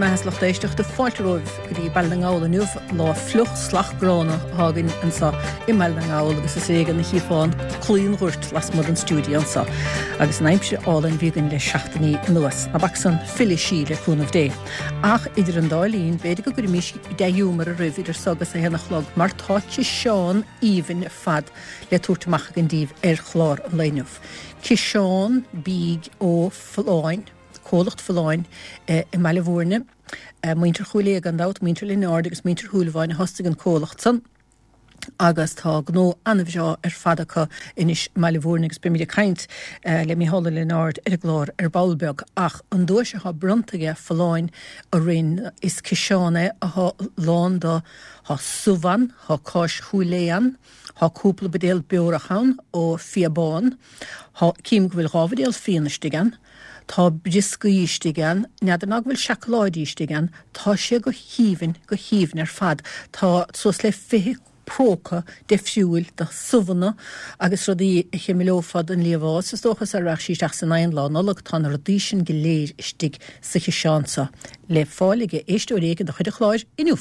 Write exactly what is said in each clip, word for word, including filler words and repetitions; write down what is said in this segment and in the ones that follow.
mbeatha is lucht éisteachta fáilte romhaibh go dtí Baile na nGall inniu lá fliuch salach gránna atá againn anseo i mBaile na nGall agus is éigean a chífeá an claí an ghoirt lasmuigh den stiúideo anseo agus an aimsir álainn a bhí againn le seachtainí anuas. Ná bac san fillfidh sí le cúnamh Dé. Ach idir an dá linn b'fhéidir go gcuirfimís dea-ghiúmar oraibh idir seo agus a haon a chlog mar tá ciseán aoibhinn ar fad le tabhairt amach againn daoibh ar chlár an lae inniu. Ciseán bídh ó Folláin. Comhlacht Folláin i mBaile Bhúirne, muintir Chúil Aodha gan dabht, muintir Lionáird agus muintir Shúilleabháin a thosaigh an comhlacht san agus tá gnó an-bhreá ar fad acu anois i mBaile Bhúirne agus beimid ag caint le Mícheál Ó Lionáird ar an gclár ar ball beag. Ach an duais atá bronnta aige Folláin orainn is ciseán é atá lán de, thá subh ann, thá cáis Chúil Aodha ann, thá cúpla buidéal beorach ann ó Fia Bán, thá, cím go bhfuil dhá bhuidéal fíona istigh ann, Tá brioscaí istigh ann, n'fheadar ná go bhfuil seacláidí istigh ann, tá sé go haoibhinn, go haoibhinn ar fad. Tá suas le fiche próca deifriúil de subhanna agus rudaí a chimileofá don liamhás, is dócha, sara rachadh sí isteach san oigheann Lá Nollag. Tá na rudaí sin go léir istigh sa chiseán seo le fáil ag éisteoir éigin de chuid an chláir inniu.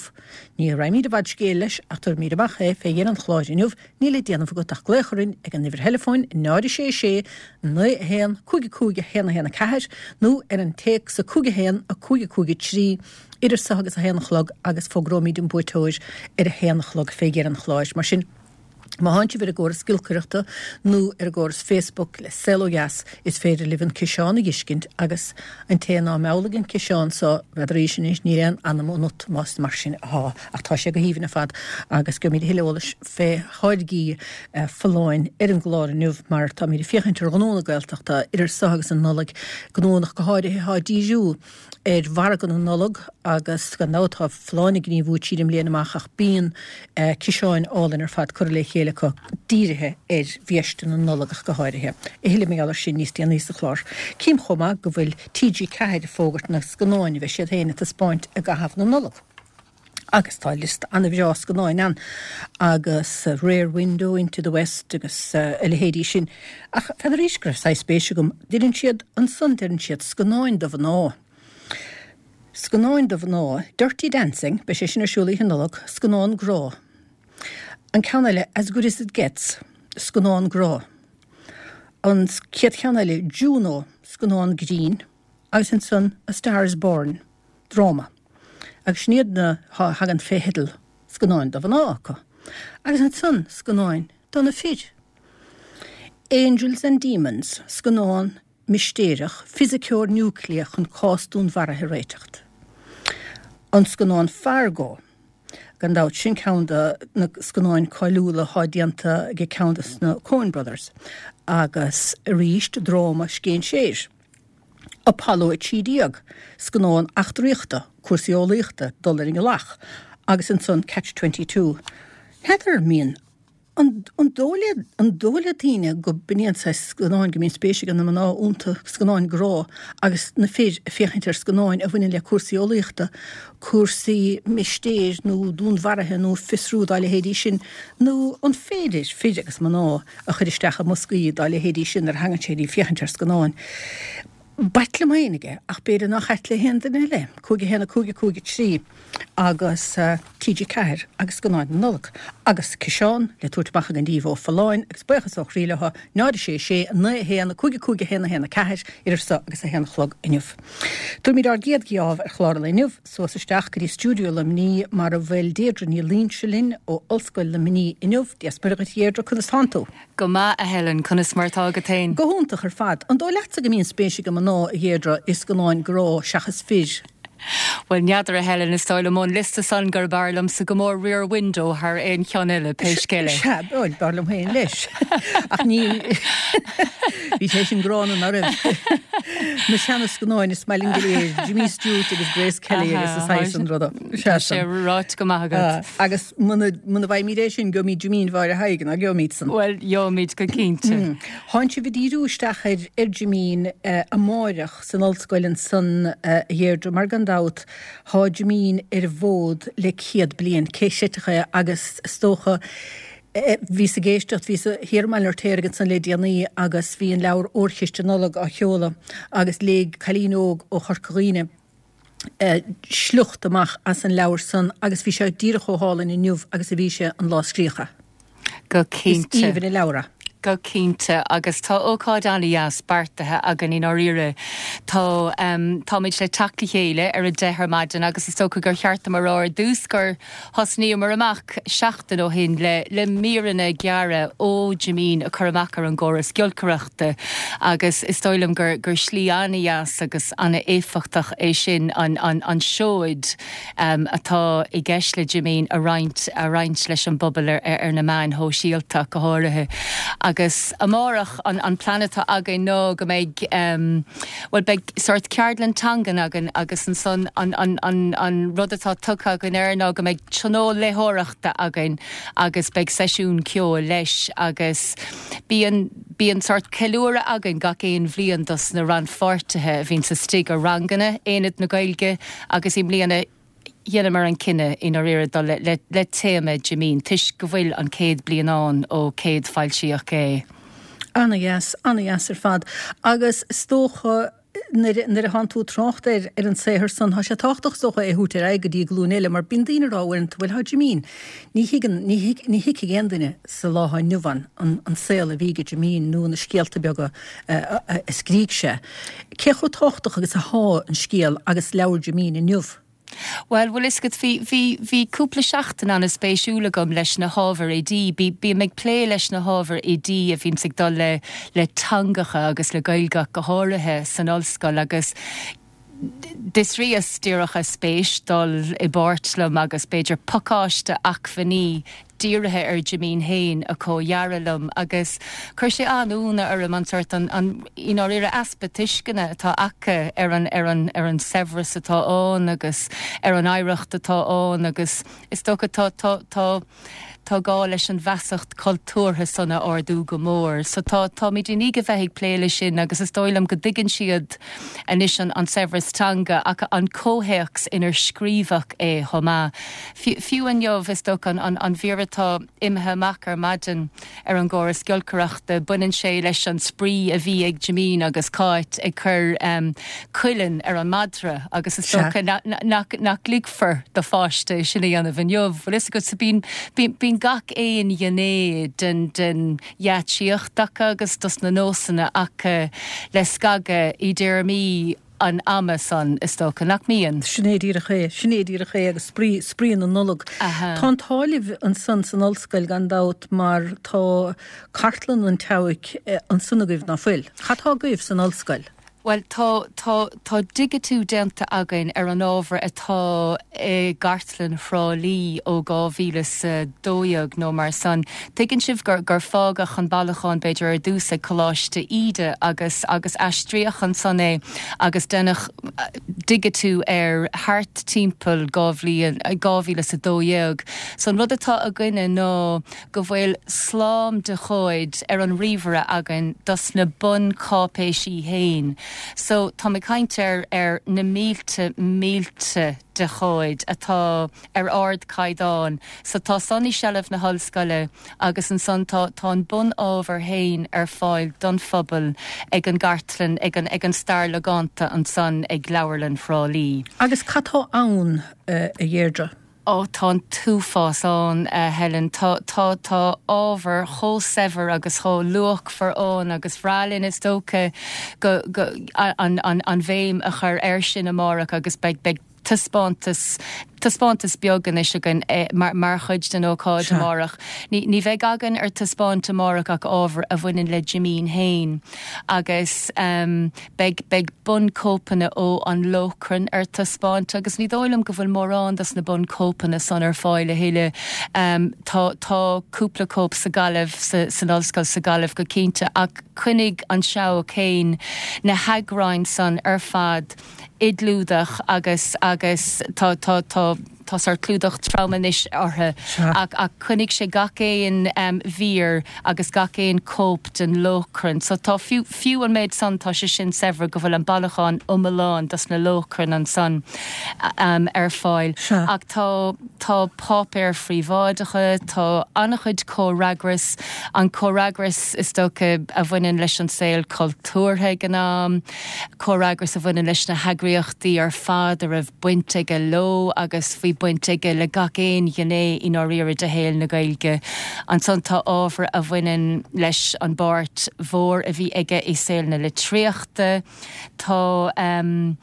Ní raghaimid i bhfad scéil leis ach tabharfaimid amach é fé dheireadh an chláir inniu. Níl le déanamh agat ach glaoch orainn ag an uimhir theileafóin náid a sé sé naoi a haon cúig a cúig a haon a haon a ceathair nó ar an téacs a cúig a haon a cúig a cúig a trí idir seo agus a haon a chlog agus fógróimid an buaiteoir ar a haon a chlog fé dheireadh an chláir. Mar sin, má thánn sibh ar an gcóras giolcaireachta nó ar an gcóras Facebook le Saol Ó Dheas is féidir libh an ciseán a dh'fheiscint agus an té ná meallfaidh an ciseán so, n'fheadaraís anois, níl aon anam ionat más mar sin athá. Ach tá sé go haoibhinn ar fad agus gheobhaimid a thuilleadh eolais fé tháirgí Folláin ar an gclár inniu mar táimid ag féachaint ar ghnó na Gaeltachta idir seo agus an Nollaig, gnónna go háirithe atá ag díriú ar mhargadh na Nollag agus gan dabht tá Folláin ag gníomhú tríd an mbliain amach ach bíonn ciseáin álainn ar fad curtha le chéile acu dírithe ar bhiaiste na Nollag ach go háirithe. A thuilleadh mar gheall air sin níos déanaí sa chlár. Cím chomh maith go bhfuil T G ceathair ag fógairt na scannáin a bheidh siad féin ag taispeáint i gcaitheamh na Nollag. Agus tá liosta an-bhreá scannáin ann agus Rear Window, Into the West agus a leithéidí sin. Ach n'fheadaraís go raibh saghas spéis agam. Deireann siad ansan, deireann siad, scannáin do mhná. Scannáin do mhná, Dirty Dancing, beidh sé sin ar siúl Oíche Nollag, scannán grá. An ceann eile, As Good As It Gets, scannán grá. An chéad cheann eile, Juno, scannán grinn. Agus ansan, A Star Is Born, dráma. Agus sin iad na a thagann fé theideal scannáin do mhná acu. Agus ansan scannáin do na fir. Angels and Demons, scannán mistéireach, fisiceoir núicléach chun cás dúnmharaithe a réiteacht. An scannán Fargo, gan dabht, sin ceann de na scannáin cáiliúla atá déanta ag ceann de na Coen Brothers. Agus arís dráma scéinséir. Apollo a trí déag, scannán eachtraíochta, cúrsaí eolaíochta, dul ar an ngealach, agus ansan Catch Twenty Two. N'fheadar an mbíonn, an an dóigh le, an dóigh le daoine go b'in iad an saghas scannáin go mbíonn spéis ag na mná iontu, scannáin grá, agus na fir ag féachaint ar scannáin a bhaineann le cúrsaí eolaíochta, cúrsaí mistéir nó dúnmharaithe nó fiosrú dá leithéidí sin, nó an féidir fir agus mná a chur isteach i mboscaí dá leithéidí sin nuair a thagann sé go dtí féachaint ar scannáin. B'ait liom féin é, ach b'fhéidir nach ait le haon duine eile. Cúig a haon a cúig a cúig a trí agus T G ceathair agus scannáin na Nollag agus ciseán le tabhairt amach againn daoibh ó Folláin agus buíochas ó chroí leo, náid a sé sé, a naoi a haon, a cúig a cúig a haon a haon a ceathair, idir seo agus a haon a chlog inniu. Tabharfaimid ár gcéad gheábh ar chlár an lae inniu suas isteach go dtí stiúideo Luimnigh mar a bhfuil Deirdre Ní Loingsigh linn ó Ollscoil Luimnigh inniu. Dia 's Muire dhuit a Dheirdre, conas tánn tú? Go maith, a Helen, conas mar atá agat féin? Go hiontach ar fad. An dóigh leatsa go mbíonn spéis ag mná, a Dheirdre, i scannáin grá seachas fir? Bhuel, n'fheadar, a Helen, is dóigh liom ón liosta san gurb fhearr liomsa go mór Rear Window thar aon cheann eile, pé scéal é. Sea, bhuel, b'fhearr liom féin leis. Ach ní, bhí sé sin gránna, ná raibh? Na seana-scannáin is maith linn go léir, Jimmy Stewart agus Grace Kelly agus a saghas san ruda. Tá sé ráite go maith agat. Agus muna bhfaighimid é sin, gheobhaimid Jimín Mháire Thaidhg, ná gheobhaimid san? Bhuel, gheobhaimid go cinnte. Thánn sibh ag díriú isteach ar ar Jimín amáireach san ollscoil ansan, a Dheirdre, mar gan dabht thá Jimín ar an bhfód le céad bliain, cé chreidfeadh é agus is dócha bhíos ag éisteacht, bhíos thiar i mBaile an Fheirtéaraigh ansan le déanaí agus bhí an leabhar Órchiste Nollag á sheoladh agus léigh cailín óg ó Chorca Dhuibhne, sliocht amach as an leabhar san agus bhí sé díreach chomh hálainn inniu agus a bhí sé an lá a scríodh é. Go cinnte. Is aoibhinn an leabhar é. Go cinnte, agus tá ócáid an-deas beartaithe againn i ndáiríre. Tá táimid le teacht le chéile ar a deich ar maidin agus is dócha gur cheart dom a rá ar dtús gur thosnaíomar amach seachtain ó shin le le míreanna gearra ó Jimín a chur amach ar an gcóras giolcaireachta agus is dóigh liom gur gur slí an-deas agus an-éifeachtach é sin an an an seoid atá i gceist le Jimín a roinnt a roinnt leis an bpobal ar ar na meáin shóisialta go háirithe. Agus amárach an an plean atá againn ná go mbeidh um, well beidh sort ceardlann teangan againn agus ansan an, an, an, an rud atá tugtha againn air ná go mbeidh tionól léitheoireachta againn agus beidh seisiún ceoil leis agus bíonn bíonn sort ceiliúradh againn gach aon bhliain dos na rannpháirtithe a bhíonn istigh i ranganna Aonad na Gaeilge agus i mbliana dheineamar an cinneadh i ndáiríre dul le, le, le téama Jimín, toisc go bhfuil an céad bliain ann ó céad foilsíodh é. Ana-dheas, ana-dheas ar fad. Agus is dócha nuair nuair a thánn tú ag trácht ar ar an saothar san, tá sé tábhachtach is dócha é a thabhairt ar aghaidh go dtí glúin eile, mar bíonn daoine ag rá uaireanta, bhuel tá Jimín, ní thuigeann, ní thuig, ní thuigfidh aon duine sa lá atá inniu ann an, an saol a bhí ag Jimín nó na scéalta beaga a, a, a scrígh sé. Cé chomh tábhachtach agus atá an scéal agus leabhar Jimín inniu? Well, bhfuil fhios agat, bhí, bhí, bhí cúpla seachtain an-spéisiúil agam leis na hábhair oidí. Bí, bím ag plé leis na hábhair oidí a bhíonns ag dul le, le teangacha agus le Gaeilge go háirithe san ollscoil agus d'fhiosraíos díreach a spéis dul i bpáirt liom agus b'fhéidir pacáiste acmhainní dírithe ar Jimín féin a chomhdhearadh liom agus chuir sé an-ionadh orm an sort an, an, i ndáiríre easpa tuisceana atá acu ar an, ar an, ar an saibhreas atá ann agus ar an oidhreacht atá ann agus is dócha tá, tá, tá, tá gá leis an bhfeasacht cultúrtha san a ardú go mór. So tá táimid i ndiaidh a bheith ag plé leis sin agus is dóigh liom go dtuigeann siad anois an, an saibhreas teanga ach an comhthéacs inar scríobhadh é chomh maith. Fiú inniu is dócha an, an, an mhír atá imithe amach ar maidin ar an gcóras giolcaireachta, baineann sé leis an spraoi a bhí ag Jimín agus Cáit ag cur um, cuileann ar an madra agus is dócha nach, nach, nach ligfear do pháiste é sin a dhéanamh inniu. Bhfuil fhios agat so bíonn, bíonn, bíonn gach aon ghné den, den gheáitsíocht acu agus dos na nósanna acu le scagadh i dtéarmaí an ama san is dócha nach mbíonn. Sin é díreach é, sin é díreach é agus spraoi, spraoi na Nollag. Tá an t-ádh libh ansan san ollscoil gan dabht mar tá cartlann an tSeabhaic ansan agaibh ná fuil. Cad tá agaibh san ollscoil? Bhuel, tá, tá, tá digitiú déanta againn ar an ábhar atá i gcartlann Thrá Lí ó dhá mhíle is a dó dhéag nó mar san. Tuigeann sibh gur, gur fágadh an bailiúchán b'fhéidir ar dtús ag Coláiste Íde agus, agus aistríodh ansan é agus deineadh digitiú air thart timpeall dhá bhliain, dhá mhíle is a dó dhéag. So an rud atá againne ná go bhfuil slám de chomhaid ar an ríomhaire againn dos na buncháipéisí féin. So tá mé ag caint ar ar na mílte mílte de chomhaid atá ar ardchaighdeán. So tá san i seilbh na hollscoile agus ansan tá tá an bunábhar féin ar fáil don phobal ag an gcartlann ag an ag an stair logánta ansan ag Leabharlann Thrá Lí. Agus cad tá ann, a Dheirdre? Ó tá an t-uafás ann, a Helen. Tá tá tá ábhar chomh saibhir agus chomh luachmhar ann agus ba bhreá linn is dócha go go an an an bhéim a chur air sin amárach agus beidh beidh taispeántas taispeántas beag anois againn mar mar chuid den ócáid amárach. Ní ní bheidh againn ar taispeáint amárach ach ábhar a bhaineann le Jimín féin agus um, beidh beidh bunchóipeanna ó An Lóchrann ar taispeáint agus ní dóigh liom go bhfuil mórán dos na bunchóipeanna san ar fáil a thuilleadh. Um, tá tá cúpla cóip sa Ghaillimh sa, san ollscoil sa Ghaillimh go cinnte ach choinnigh an Seabhac féin na heagráin san ar fad i gclúdach agus agus tá tá tá tá sórt clúdach trom anois orthu ach ach choinnigh sé gach aon um, mhír agus gach aon cóip den Lóchrann. So tá fiú, fiú an méid san tá sé sin saibhir go bhfuil an bailiúchán iomlán dos na Lóchrann ansan um, ar fáil. Ach tá tá páipéir phríobháideacha, tá an-chuid comhfhreagras an comhfhreagras is dócha a bhaineann leis an saol cultúrtha ag an am, comhfhreagras a bhaineann leis na heagraíochtaí ar fad a raibh baint aige leo agus bhí baint aige le gach aon ghné i ndáiríre de shaol na Gaeilge. Ansan tá ábhar a bhaineann leis an bpáirt mhór a bhí aige i saol na litríochta, Tá um,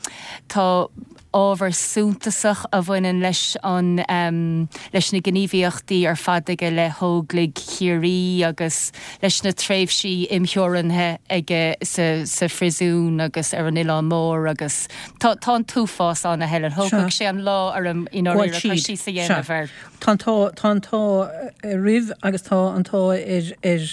tá ábhar suntasach a bhaineann leis an um, leis na gníomhaíochtaí ar fad aige le hÓglaigh Chiarraí agus leis na tréimhsí imtheorannaithe aige sa, sa phríosún agus ar an Oileán Mór agus tá tá an t-uafás ann a Helen Thógfadh sé an lá orm in sí sa dhéanamh air. Tá tá an t-ádh oraibh agus tá an t-ádh ar ar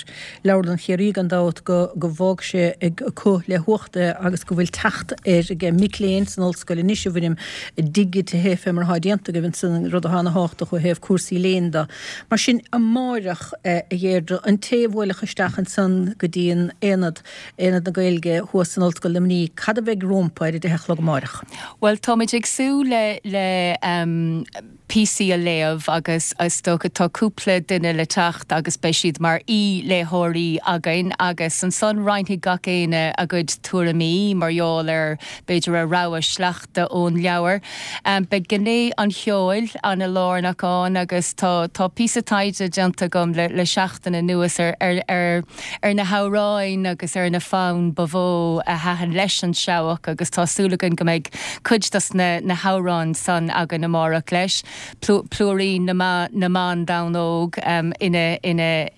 Leabharlann Chiarraí gan dabht go go bhfág sé acu le huacht é agus go bhfuil teacht air ag mic léinn san ollscoil anois i bhfoirm digitithe fé mar atá déanta agaibh ansan rud atá ana-thábhachtach ó thaobh cúrsaí léinn de. Mar sin amárach a Dheirdre an té a bhuailfeadh isteach ansan go dtí an aonad Aonad na Gaeilge thuas san Ollscoil Luimnigh, cad a bheidh rompu ar a deich a chlog amárach? Well táimid ag súil le le um, píosaí a léamh agus is dócha tá cúpla duine le teacht agus beidh siad mar aoi-léitheoirí againn agus ansan roinnfidh gach éinne a gcuid tuairimí mar gheall ar b'fhéidir a rogha sleachta ón leabhar. Um, beidh gné an cheoil an-lárnach ann agus tá tá píosa taighde déanta agam le, le seachtain anuas ar, ar, ar, ar na hamhráin agus ar na fonn ba mhó a thaitin leis an Seabhac agus tá súil againn go mbeidh cuid dos na, na hamhráin san againn amárach leis. Plúirín na na mBan Donn Óg um, ina, ina,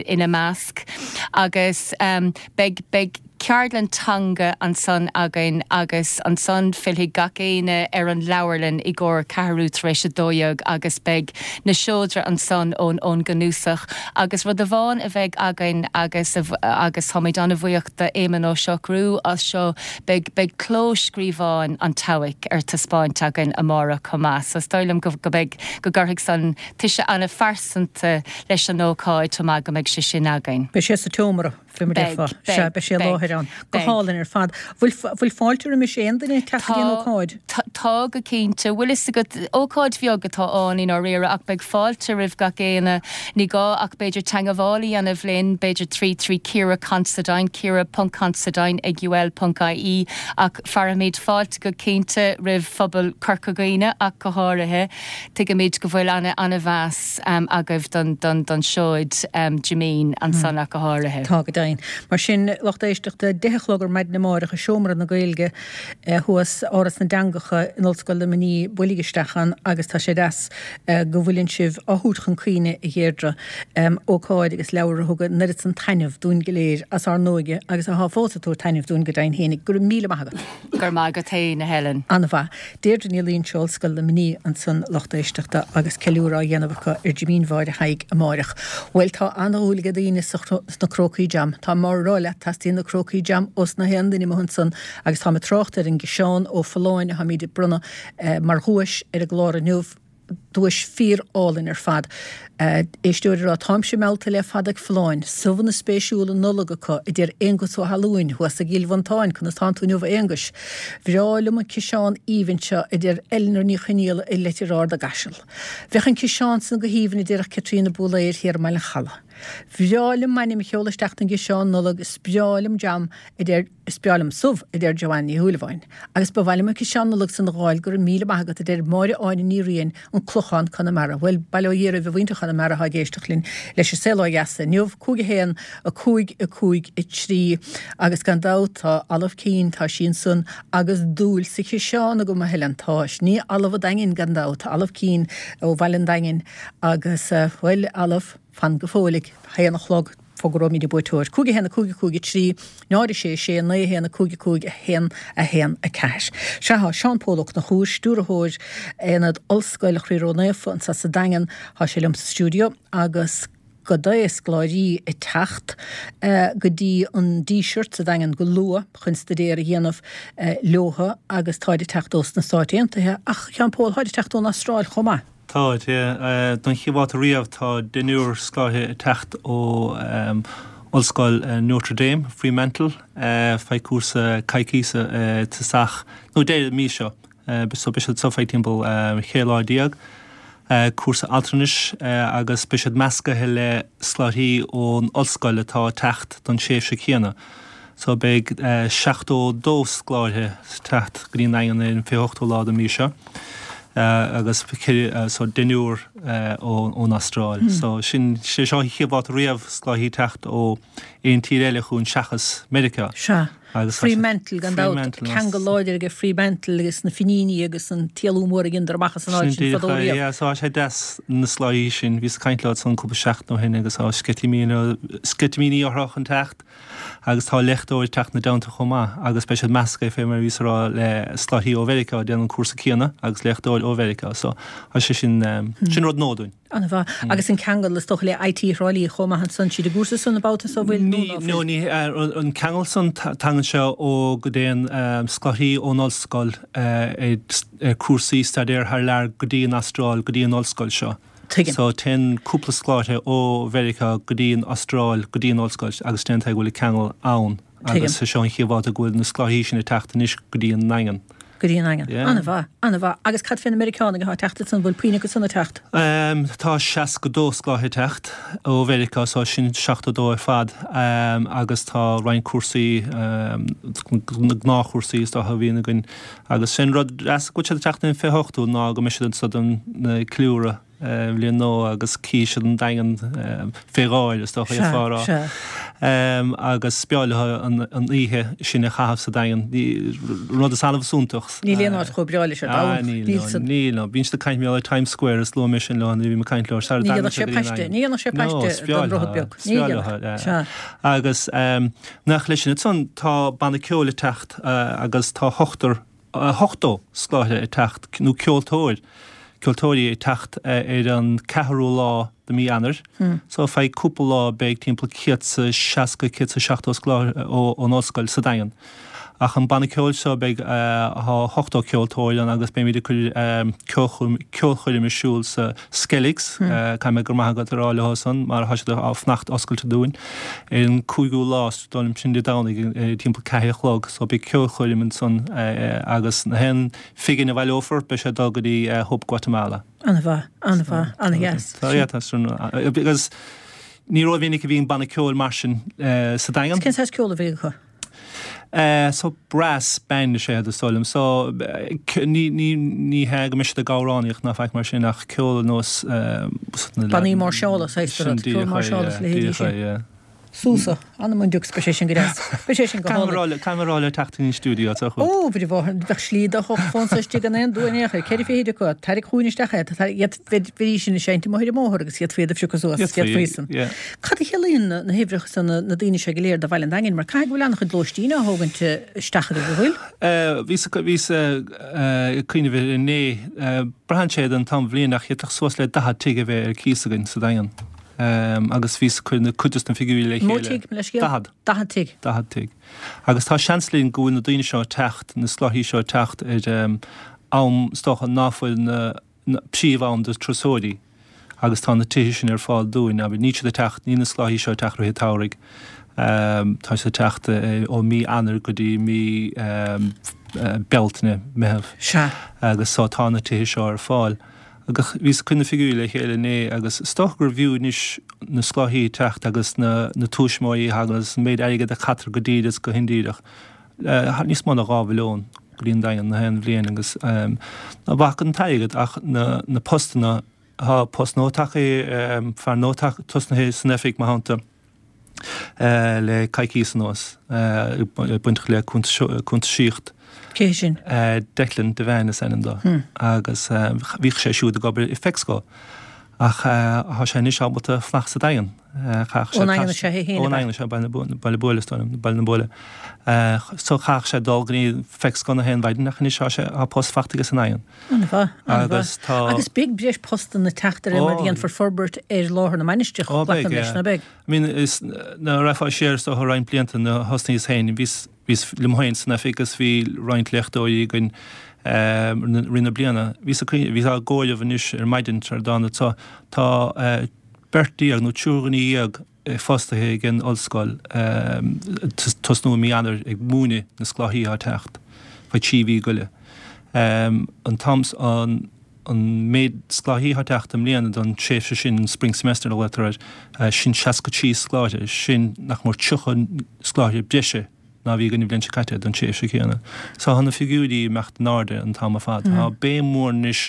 ina measc agus um, beidh beidh ceardlann teanga ansan againn agus ansan fillfidh gach éinne ar an leabharlann i gcomhair ceathrú tar éis a dó dhéag agus beidh na seodra ansan ón ón gcnuasach agus rud amháin a bheidh againn agus agus táimid an-bhuíoch d'Éamonn Ó Siochrú as seo beidh beidh clóscríobháin an tSeabhaic ar taispeáint againn amárach chomh maith, so is dóigh liom go go beidh go gcuirfidh san toise an-phearsanta leis an ócáid chomh maith go mbeidh sé sin againn. Beidh sé sa tseomra fé mar a déarfá. Sea, beidh sé i láthair ann. Go hálainn ar fad. Bhfuil bhfuil fáilte roimis aon duine teacht go dtí an ócáid? Tá go cinnte. Bhfuil fhios agat ócáid bheag atá ann i ndáiríre ach beidh fáilte roimh gach éinne. Ní gá ach b'fhéidir teagmháil a dhéanamh linn, b'fhéidir trí trí Ciara Considine, Ciara ponc Considine ag UL ponc ie ach fearaimid fáilte go cinnte roimh phobal Chorca Dhuibhne ach go háirithe. Tuigimid go bhfuil ana ana-mheas agaibh don don don seoid Jimín ansan ach go háirithe. Tá go deimhin. Mar sin, lucht éisteachta, deich a chlog ar maidin amárach i Seomra na Gaeilge thuas, Áras na dTeangacha in Ollscoil Luimnigh, buailigí isteach ann agus tá sé deas go bhfuileann sibh á thabhairt chun cuimhne, a Dheirdre, ócáid agus leabhar a thug an oiread san taitneamh dúinn go léir as ár n-óige agus atá fós ag tabhairt taitneamh dúinn go deimhin fhéinig. Go raibh míle maith agat. Go raibh maith agat fhéin, a Helen. An-mhaith. Deirdre Ní Loingsigh, Ollscoil Luimnigh ansan, lucht éisteachta, agus ceiliúradh á dhéanamh acu ar Jimín Mháire Thaidhg amáireach. Bhuel, tá an-dhúil ag daoine sna crócaí jam. Tá mé á rá leat, teastaíonn na crócaí jam ós na haon duine amuigh ansan agus táim ag trácht ar an gciseán ó Folláin atáimid ag bronnadh mar dhuais ar an gclár inniu. Duais fíor-álainn ar fad. Éisteoir ag rá, Táimse meallta le fada ag Folláin. Subhanna spéisiúla Nollag acu, a deir Aonghus Ó hAlúin, thuas i gCill Mhantáin. Conas tánn tú inniu, a Aonghuis? Bhreá liom an ciseán aoibhinn seo, a deir Eleanor Ní Chonaola i Leitir Ard i gCaiseal. Bheadh an ciseán san go haoibhinn, a déarfadh Caitríona Búlaeir thiar i mBaile an Chalaidh. Bhreá liom m'ainm a sheoladh isteach don gciseán Nollag, is breá liom jam, a deir Is breá liom subh, a deir Joanne Ní Shúilleabháin. Agus ba mhaith liom an ciseán Nollag san a dh'fháil, go raibh míle maith agat, a deir Máire Áine Ní Riain, An Clochán, Conamara. Bhuel, bail ó Dhia oraibh a mhuintir Chonamara atá ag éisteacht linn leis an Saol Ó Dheas inniu, cúig a haon, a cúig, a cúig, a trí. Agus gan dabht tá Olive Keane, tá sí ansan agus dúil sa chiseán agam, a Helen, tá. Ní Olive an Daingin gan dabht, Olive Keane ó Bhaile an Daingin agus, bhuel, Olive, fan go fóill ag haon a chlog, Fógróimid an buaiteoir. Cúig a haon a cúig a cúig a trí, náid a sé a sé, naoi a haon a cúig a cúig a haon a haon a ceathair. Sea, tá Seán Pól Ó Conchúir, Stiúrthóir Aonad Ollscoil Chroí Ró-Naofa anseo sa Daingean, tá sé liom sa stiúideo agus dó scoláirí ag teacht go dtí an Díseart sa Daingean go luath chun staidéar a dhéanamh leotha agus táid ag teacht ós na Stáit Aontaithe ach Sheáin Pól táid ag teacht ón Astráil chomh maith. Táid, yeah. Don chéad bhabhta riamh tá deichniúr scoláire ag teacht ó Ollscoil Notre Dame, Fremantle, feadh cúrsa coicíse tosach nó deireadh mí seo. So beidh siad anseo feadh timpeall cheithre lá déag. Cúrsa altranais agus beidh siad meascaithe le scoláirí ón ollscoil atá ag teacht don tréimhse céanna. So beidh seachtó dó scoláire ag teacht go dtí an Daingean ar an fiche hochtú lá den mí seo agus so deichniúr ón Astráil. So sin sé seo an chéad bhabhta riamh scoláirí ag teacht ó aon tír eile chugainn seachas Meiriceá. Sea. Fremantle gan dabht, ceangal láidir aige Fremantle agus na Fíníní agus an t-éalú mór a dheineadar amach as an áit sin fadó riamh. Yeah, so tá sé deas na scoláirí sin, bhíos ag caint leo ansan cúpla seachtain ó shin agus tá sceitimíní orthu chun teacht agus tá léachtóir ag teacht ina dteannta chomh maith agus beidh siad measctha fé mar a bhíos ag rá le scoláirí ó Mheiriceá a déanann an cúrsa céanna agus léachtóir ó Mheiriceá so tá sé sin, sin rud nua dúinn. An-mhaith. Agus an ceangal is dócha le I T Thrá Lí chomh maith ansan, siad i gcúrsa san an babhta so bhfuil nó ná fuil? No ní an ceangal san tagann sé ó go dtéann scoláirí ón ollscoil ar cúrsaí staidéir thar lear go dtí an Astráil go dtí an ollscoil seo. Tuigim. So téann cúpla scoláire ó Mheiriceá go dtí an Astráil go dtí an ollscoil agus déan go bhfuil ceangal ann agus seo an chéad bhabhta go bhfuil na scoláirí sin ag teacht anois go dtí an Daingean. Go dtí an Daingean. An-mhaith, an-mhaith. Agus cad fé na Meiriceánaigh atá ag teacht ansan, bhfuil puinn acu san ag teacht? Tá seasca dó scoláire ag teacht ó Mheiriceá, so sin seachtó dó ar fad agus tá roinnt cúrsaí, na gnáthchúrsaí is dócha a bhíonn againn agus sin rud deas go bhfuil siad ag teacht ar an fiche hochtú ná go mbeidh siad anso don ceiliúradh Bhliain Nua agus cífidh siad an Daingean fé dháil is dócha é fá rá. Agus b'fhearr leo an oíche sin a chaitheamh sa Daingean. Rud is annamh is iontach. Níl aon áit chomh breá leis ar domhan. Níl san. Níl, no. Bíonn siad ag caint ar Times Square is luaigh mé sin leo nuair a bhí mé ag caint leo. Ní dhéanfadh sé paiste, ní dhéanfadh sé paiste don droichead beag. Ní dhéanfadh. Sea. Agus nach leis sin ansan tá banna ceoil ag teacht agus tá ochtar, ochtó scoláire ag teacht nó ceoltóir. ceoltóirí ag teacht ar an ceathrú lá de mí Eanáir. So feadh cúpla lá beidh timpeall céad 's a seasca, céad 's a seachtó scoláire ón ollscoil sa Daingean. Ach an banna ceoil seo beidh ochtó ceoltóir ann agus beimid ag cur ceolchoirm ar siúl sa Skelligs, caithfidh mé go raibh maith agat a rá leo san mar tá siad ag fanacht oscailte dúinn, ar an cúigiú lá, is dóigh liom sin Dé Domhnaigh, timpeall ceathair a chlog. So beidh ceolchoirm ansan agus na haon phingin a bhaileofar, beidh sé ag dul go dtí Hope Guatemala. An-mhaith, an-mhaith, an-dheas. Tá, yeah, tá sin, agus ní rómhinic a bhíonn banna ceoil mar sin sa Daingean. Cén saghas ceoil a bhí acu? So brass band is ea is dóigh liom. So ní, ní, ní hea go mbeidh siad ag amhránaíocht ná faic mar sin ach ceol ar nós na Bannaí máirseála, saghas de rud, ceol máirseála is a leithéidí sin. Yeah. Sousa, anam an diucs, beidh sé sin go deas. Beidh sé sin go hálainn. Caithfidh mé a rá le teacht in stiúideo, tá chugat. Ó, bhí bheadh slí do fón sa istigh gan aon dua in aon chor. Ceithre fichid acu, tarraig chugainn isteach é, bheidís sin ag seinnt amuigh ar an mbóthar agus iad faoi do phiocadh suas, iad faoi san. Cad a chiallaíonn na huimhreacha san, na daoine seo go léir do Bhaile an Daingin, mar caithfidh go bhfuil an-chuid lóistín á thógaint isteach agaibh, an bhfuil? Bhíos bhíos ag cuimhneamh air inné, braitheann sé den t-am bhliain ach d'fhéadfadh suas le daichead tigh a bheith ar cíos againn sa Daingean. Agus bhíos ag cur na cuid de na figiúirí le chéile. Mó tigh, mo leithscéal? Daichead. Daichead tigh. Daichead tigh. Agus tá seans linn go bhfuil na daoine seo ag teacht, na scoláirí seo ag teacht ar am is dócha ná fuil na príomh-am do turasóirí agus tá na tithe sin ar fáil dúinn. Abair, níl siad ag teacht, níl na scoláirí seo ag teacht rith an tsamhraidh. Tá siad ag teacht ó mí Eanáir go dtí mí Bealtaine, Meitheamh. Sea. Agus so tá na tithe seo ar fáil. Agus bhíos ag cur na figiúirí le chéile inné agus is dócha gur bhfiú anois na scoláirí ag teacht agus na na tuismitheoirí a thagann agus an méid airgid a chaitear go díreach is go hindíreach, níos mó ná dhá mhilliún go dtí an Daingean na haon bhliain agus ná bac an t-airgead ach na na postanna, tá post nua tagtha, fear nua tosnaithe san oifig mar shampla. le coicíos anuas, bainteach le cuntasaíocht. Cé hé sin? Declan Devane is ainm dó. Agus bhíodh sé siúd ag obair i Fexco. Ach thá sé anois ábalta fanacht sa Daingean. Ón nDaingean is ea é féin, Ón nDaingean is ea, Baile Buaile is dóigh liom, Baile na Buaile. So chaithfeadh sé dul go dtí feic scoil gach aon mhaidin ach anois tá sé, tá post fachta aige sa nDaingean. An-mhaith, an-mhaith. Agus tá. Agus beidh breis postanna ag teacht de réir mar a dhéanfar forbairt ar láthair na mainistreach, Ó beidh, glacaim leis, yeah. ná beidh? I mean, is, nuair a rachfá siar is dócha roinnt blianta nuair a thosnaíos féin, bhíos, bhíos liom féin san oifig agus bhí roinnt léachtóirí againn i rith na bliana. Bhíos ag bhíos á gcomhaireamh anois ar maidin tar a dtána tá, tá beirt déag nó triúr dhuine dhéag fostaithe ag an ollscoil tosnú i mí Eanáir ag múineadh na scoláirí atá ag teacht faoi trí mhí go leith. An t-am an an méid scoláirí atá ag teacht i mbliana don tréimhse sin, an spring semester a ghlaotar air, sin seasca trí scoláire, sin nach mór tríocha scoláire breise ná bhí againn an bhliain seo caite don tréimhse chéanna. So tá na figiúirí ag imeacht in airde an t-am ar fad. Tá béim mhór anois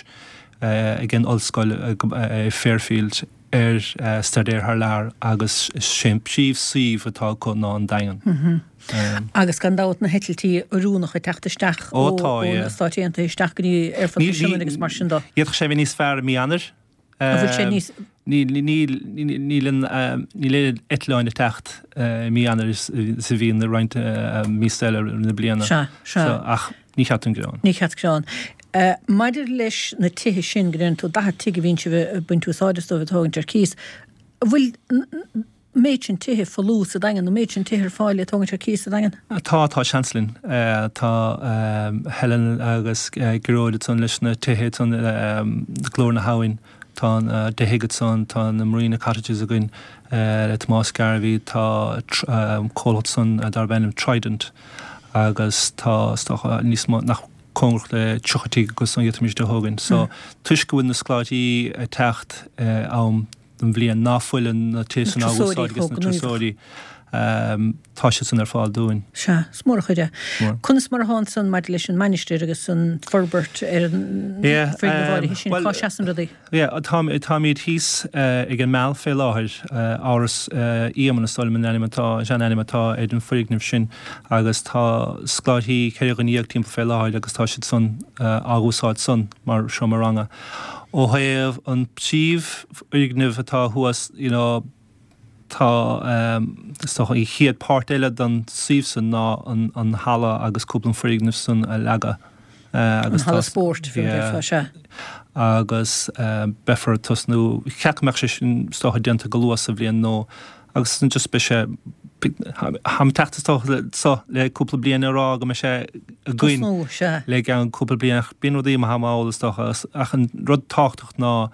ag an ollscoil i Fairfield ar staidéar thar lear agus is é an príomh-suíomh atá acu ná an Daingean. Agus gan dabht na heitiltí oiriúnacha ag teacht isteach Ó ó tá, ó na yeah. Stáit Aontaithe isteach go dtí Aerfort na Sionainne agus mar sin de. D'fhéadfadh sé a bheith níos fearr i mí Eanáir. An bhfuil sé níos. Níl níl níl an níl oiread eitleáin ag teacht i mí Eanáir is a bhíonn i roinnt míosa eile na bliana. Sea, sea. So, ach ní cheart don gearán. Ní cheart gearán. Maidir leis na tithe sin, go ndeireann tú daichead tigh a bhíonn sibh ag baint úsáid astu ag tógaint ar cíos, an bhfuil an méid sin tithe folamh sa Daingean, an méid sin tithe ar fáil le tógaint ar cíos sa Daingean? Tá, tá seans linn. Tá Helen agus Gearóid ansan leis na tithe ansan, Glór na hAbhann, tá an deich thigh ansan, tá na Marina Cottages againn le Tomás Garvey, tá comhlacht ansan darb ainm Trident agus tá, is dócha, níos mó, nach cóngarach le tríocha tigh acu san a d'fhéadfaimis a thógaint. So, toisc go bhfuil na scoláirí ag teacht am den bhliain ná fuileann na tithe san á úsáid ages na turasóirí, tá siad san ar fáil dúinn. Sea, is mór an chuid é. Conas mar atá ansan maidir leis an mainistir agus an forbairt ar an foirgneamh áirithe sin? Cá seasann rudaí? Yeah, táimid thíos ag an Meal fé láthair, Áras Éamonn is dóigh liom an ainm atá, an sean-ainm atá ar an foirgneamh sin agus tá scoláirí ceithre dhuine dhéag timpeall fé láthair agus tá siad san á úsáid san mar seomra ranga. Ó thaobh an príomhfhoirgneamh atá thuas, you know, tá, is dócha, an chéad páirt eile den suíomh san ná an an halla agus cúpla foirgneamh san a leagadh agus tá. An halla spóirt, bhí yeah, déarfá, sea. Agus beifear ag tosnú, cheap go mbeadh sé sin is dócha déanta go luath sa bhliain nó agus just beidh sé Táim ag teacht is dócha so le cúpla bliain a rá go mbeidh sé againn Tosnú, sea. le gceann cúpla bliain ach bíonn rudaí imithe mall is dócha ach an rud tábhachtach ná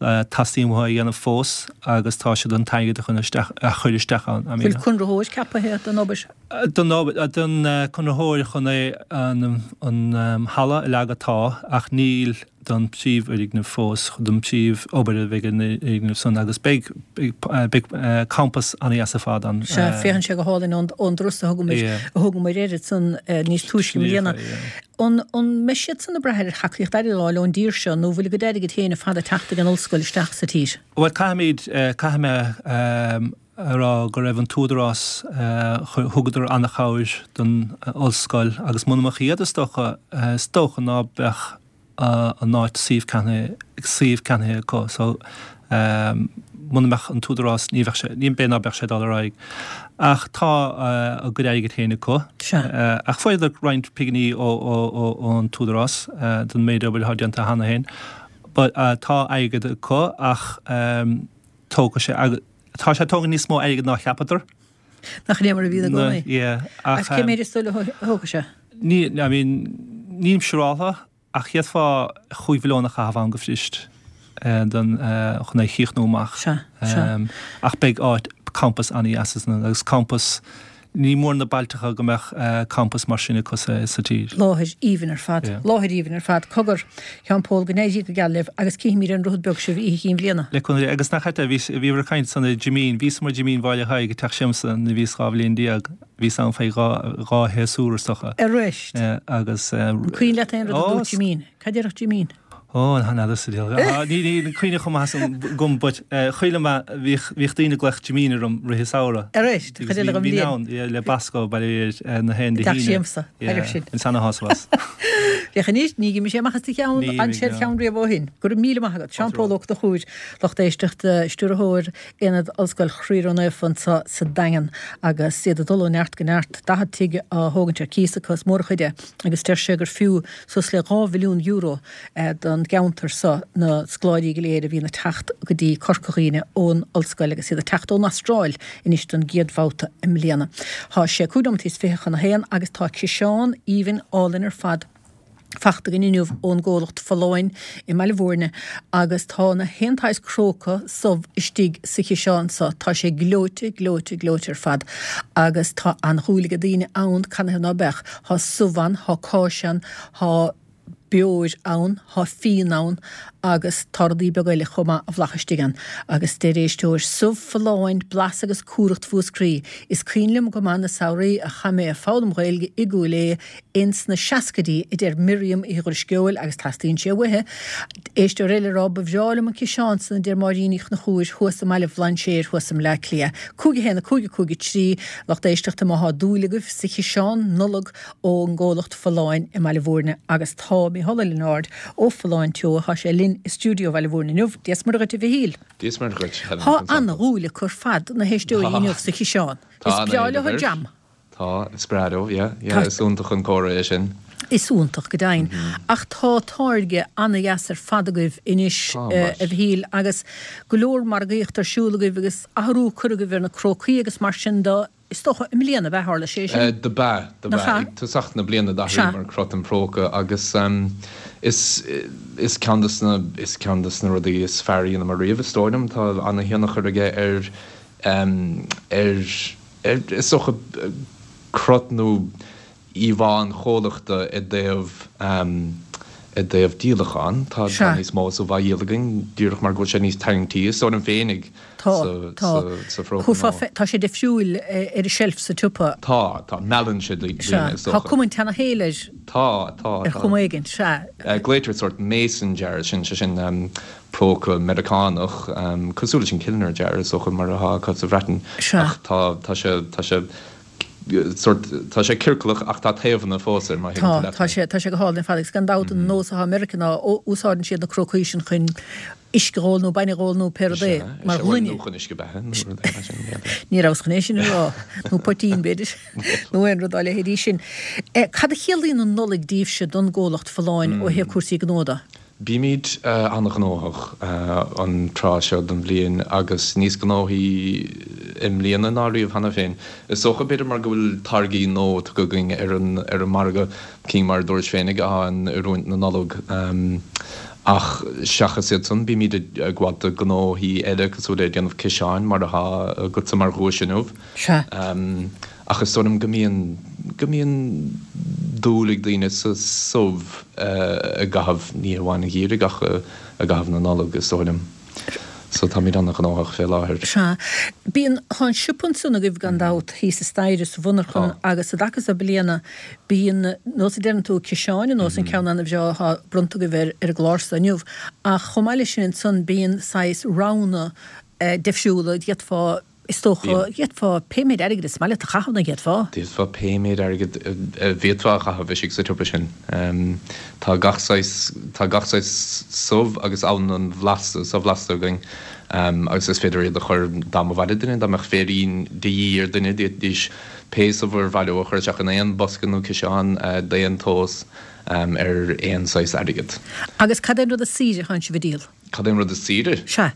teastaíonn uathu a dhéanamh fós agus tá siad an t-airgead a chun isteach a chur isteach ann. I mean. Bhfuil conraitheoir ceapaithe don obair? Don obair, don conraitheoir chun é an an halla a leagadh tá ach níl don príomhfhoirgneamh fós, don príomh-obair a bheidh ar an fhoirgneamh san agus beidh, beidh campas an-dheas ar fad ann. Sea, féachann sé go hálainn ón, ón dturas a thugamar, a thugamar air ansan níos túisce i mbliana. An, an mbeidh siad san ag brath ar thacaíocht airgid a fháil ón dtír seo nó bhfuil a gcuid airgid féin ar fad ag teacht ag an ollscoil isteach sa tír? Bhuel, caithfimid, caithfidh mé a rá go raibh an tÚdarás, thugadar an-chabhair don ollscoil agus muna mbeadh iad is dócha, is dócha ná beadh an áit suíomh ceannaithe, suíomh ceannaithe acu. So, muna mbeadh an tÚdarás ní bheadh sé, ní, b'fhéidir ná beadh sé ag dul ar aghaidh. Ach tá a gcuid airgid féin acu. Sea. Ach fuaireadar roinnt pinginí ó, ó, ó, ón tÚdarás don méid obair atá déanta cheana féin. But tá airgead acu ach tógfaidh sé, tá sé ag tógaint níos mó airgid ná cheapadar. Nach é mar a bhíonn i gcónaí? Yeah, ach. Agus cé méid is dóigh leat a thógfaidh sé? Ní, I mean, nílim siúráltha ach d'fhéadfá chúig mhilliún a chaitheamh ann go fuirist don, chun é a chríochnú amach. Sea, sea. Ach beidh áit, campas an-dheas ann agus campas, ní mór na bailteacha go mbeadh campas mar sin acu sa, sa tír. Láthair aoibhinn ar fad. Yeah. Láthair aoibhinn ar fad. Cogar, a Sheáin Pól, go n-éirí go geal libh agus cífimid ar an Droichead Beag sibh oíche Chinn Bhliana. Le cúnamh Dé. Agus nach ait é, bhí, bhíobhair ag caint ansan ar Jimín, bhíos mar Jimín Bhaile Thaidhg i dteach siamsa nuair a bhíos dhá bhliain déag. Bhíos ann faoi dhá, dhá shéasúr is dócha. Arís. Agus. An cuimhin leat aon rud a Ó, dúirt Jimín? Cad déarfadh Jimín? Ó, chan fheadar sa diabhal. Ah, ní ní cuimhne chomh maith san agam, but eh, chuala mé bhíodh bhíodh daoine ag glaoch Jimín orm rith an samhradh. Arís, Agus chuid eile bhí dhom bhí bliain. ann, yeah, le Basco baile ar na haon Dé Gach hAoine. siamsa, Yeah, ar sin. an seana-shásamh as. Féach anois, ní ghimidh sé amach as do cheann, Ní an imigh, sé no. cheann riamh ó shin. Go raibh míle maith agat. Seán Pól Ó Conchúir, lucht éisteachta, stiúrthóir Aonad Ollscoil Chroí Ró-Naofa anseo sa Daingean agus iad ag dul ó neart go neart, daichead tigh á thógaint ar cíos acu is mór a chuid é, agus deir sé gur fiú suas le dhá mhilliún euro don gceantar seo na scoláirí go léir a bhíonn ag teacht go dtí Corca Dhuibhne ón ollscoil agus iad ag teacht ón Astráil anois don gcéad bhabhta i mbliana. Tá sé cúig nóiméad is fiche chun a haon agus tá ciseán aoibhinn álainn ar fad fachta againn inniu ón gcomhlacht Folláin i mBaile Bhúirne agus tá na haon tsaghas cróca subh istigh sa chiseán seo. Tá sé gleoite, gleoite, gleoite ar fad agus tá an-dhúil ag daoine ann canathaobh ná beadh. Tá subh ann, tá cáis ann, tá beoir ann, tá fíon ann agus tá rudaí beaga eile chomh maith a bhlach istigh ann. Agus deir éisteoir, subh folláin, blas agus cumhracht Mhúscraí. Is cuimhin liom go maith na samhraí a chaith mé ag foghlaim Ghaeilge i gCúil Aodha ins na seascaidí, a deir Miriam Uí Dhrisceoil agus teastaíonn sé uaithi. Éisteoir eile ag rá, ba bhreá liom an ciseán san, a deir Máirín Uí Chonchúir thuas i mBaile Bhlainséir thuas i mBleá Cliath. Cúig a haon, a cúig, a cúig a trí, lucht éisteachta má thá dúil agaibh sa chiseán Nollag ón gcomhlacht Folláin i mBaile Bhúirne agus tá Mícheál Ó Lionáird ó Folláin Teo, thá sé linn i stiúideo Bhaile Bhúirne inniu. Dia is Muire dhuit a Mhichíl. Dia is Muire dhuit, Helen. Thá an-dhúil acu ar fad na héisteoirí inniu sa chiseán. Is breá leo an jam. Tá, is breá leo, yeah, yeah, is iontach an comhartha é sin. Is iontach go deimhin. Ach tá táirge ana-dheas ar fad agaibh anois, a Mhichíl, agus go leor margaíocht ar siúl agaibh agus athrú curtha agaibh ar na crócaí agus mar sin de. Is dócha, i mbliana, ab ea tharla sé sin? Do b'ea, do Nach b'ea. ea? Ag tosach na bliana Sea. d'athraíomar crot an phróca agus is, is ceann de na, is ceann de na rudaí is fearr a dheineamar riamh, is dóigh liom. Tá ana-thionchar aige ar, ar, ar, is dócha, crot nó íomhá an chomhlachta i dtaobh, i dtaobh díolachán. Tá, tá Sea. níos mó subh á dhíol againn díreach mar go bhfuil sé níos tarraingtí, is dóigh liom féinig. Tá, tá. Sa phróca Chuaifeá nua. fe, tá sé difriúil ar an tseilf sa tsiopa. Tá, tá. Meallann sé daoine, Sea. is Tá dócha. cuma an tseanashaoil air. Tá, tá, Ar tá. chuma éigin, sea. Glaoitear sórt mason jar, sin, sé sin próca Meiriceánach, cosúil leis an Kilner jar, is dócha, mar atá acu sa Bhreatain. Sea. Ach tá, tá sé, tá sé sórt, tá sé ciorclach ach tá taobhanna fós air, má thuigeann tú Tá, leat tá mé. sé, tá sé go hálainn ar fad agus gan dabht an nós atá i Meiriceá ná úsáideann siad na crócaí sin chun uisce a dh'ól nó bainne a dh'ól nó pé rud é, mar ghloine. Nó chun uisce beatha nó rud é mar sin, yeah. Ní rabhas chun é sin a rá, nó poitín b'fhéidir, nó aon rud dá leithéidí sin. Cad a chiallaíonn an Nollaig daoibhse don gcomhlacht Folláin ó thaobh cúrsaí gnó de? Bímid an-ghnóthach an tráth seo den bhliain agus níos gnóthaí i mbliana ná riamh cheana féin. Is dócha, b'fhéidir, mar go bhfuil táirgí nua tugtha againn ar an ar an margadh, cinn mar a dúirt féinig atá in oiriúint na Nollag. Ach seachas iad san, bímid ag gabháil do ghnóthaí eile cosúil le déanamh ciseáin mar atá agatsa mar dhuais inniu. Sea. Ach is dóigh liom go mbíonn, go mbíonn dúil ag daoine sa subh i gcaitheamh, ní amháin an gheimhridh ach i gcaitheamh na Nollag, is dóigh liom. So táimid an-ghnóthach fé láthair. Sea. Bíonn, tá an siopa ansan agaibh gan dabht, thíos an staighre sa mhonarchan Tá. agus i dtaca so bliana bíonn, nós a deireann tú, ciseáin ar nós an ceann an-bhreá atá bronnta agaibh ar ar an gclár so inniu. Ach chomh maith leis sin ansan bíonn saghas roghanna difriúla, d'fhéadfá Is dócha, d'fhéadfá pé méid airgid is maith leat a chaitheamh, nach bhféadfá? D'fhéadfá pé méid airgid a bhféadfá a chaitheamh istigh sa tsiopa sin. Tá gach saghas, tá gach saghas subh agus ann an bhlasta, so-bhlasta againn agus is féidir iad a chur dá mba mhaith le duine, dá mbeadh féirín de dhíth ar dhuine, d'fhéadfaidís pé subh ar mhaith leo a chur isteach in aon bhosca nó ciseán d'aon tomhas ar aon saghas airgid. Agus cad é an rud is saoire a thánn sibh a dhíol? Cad é an rud is saoire? Sea.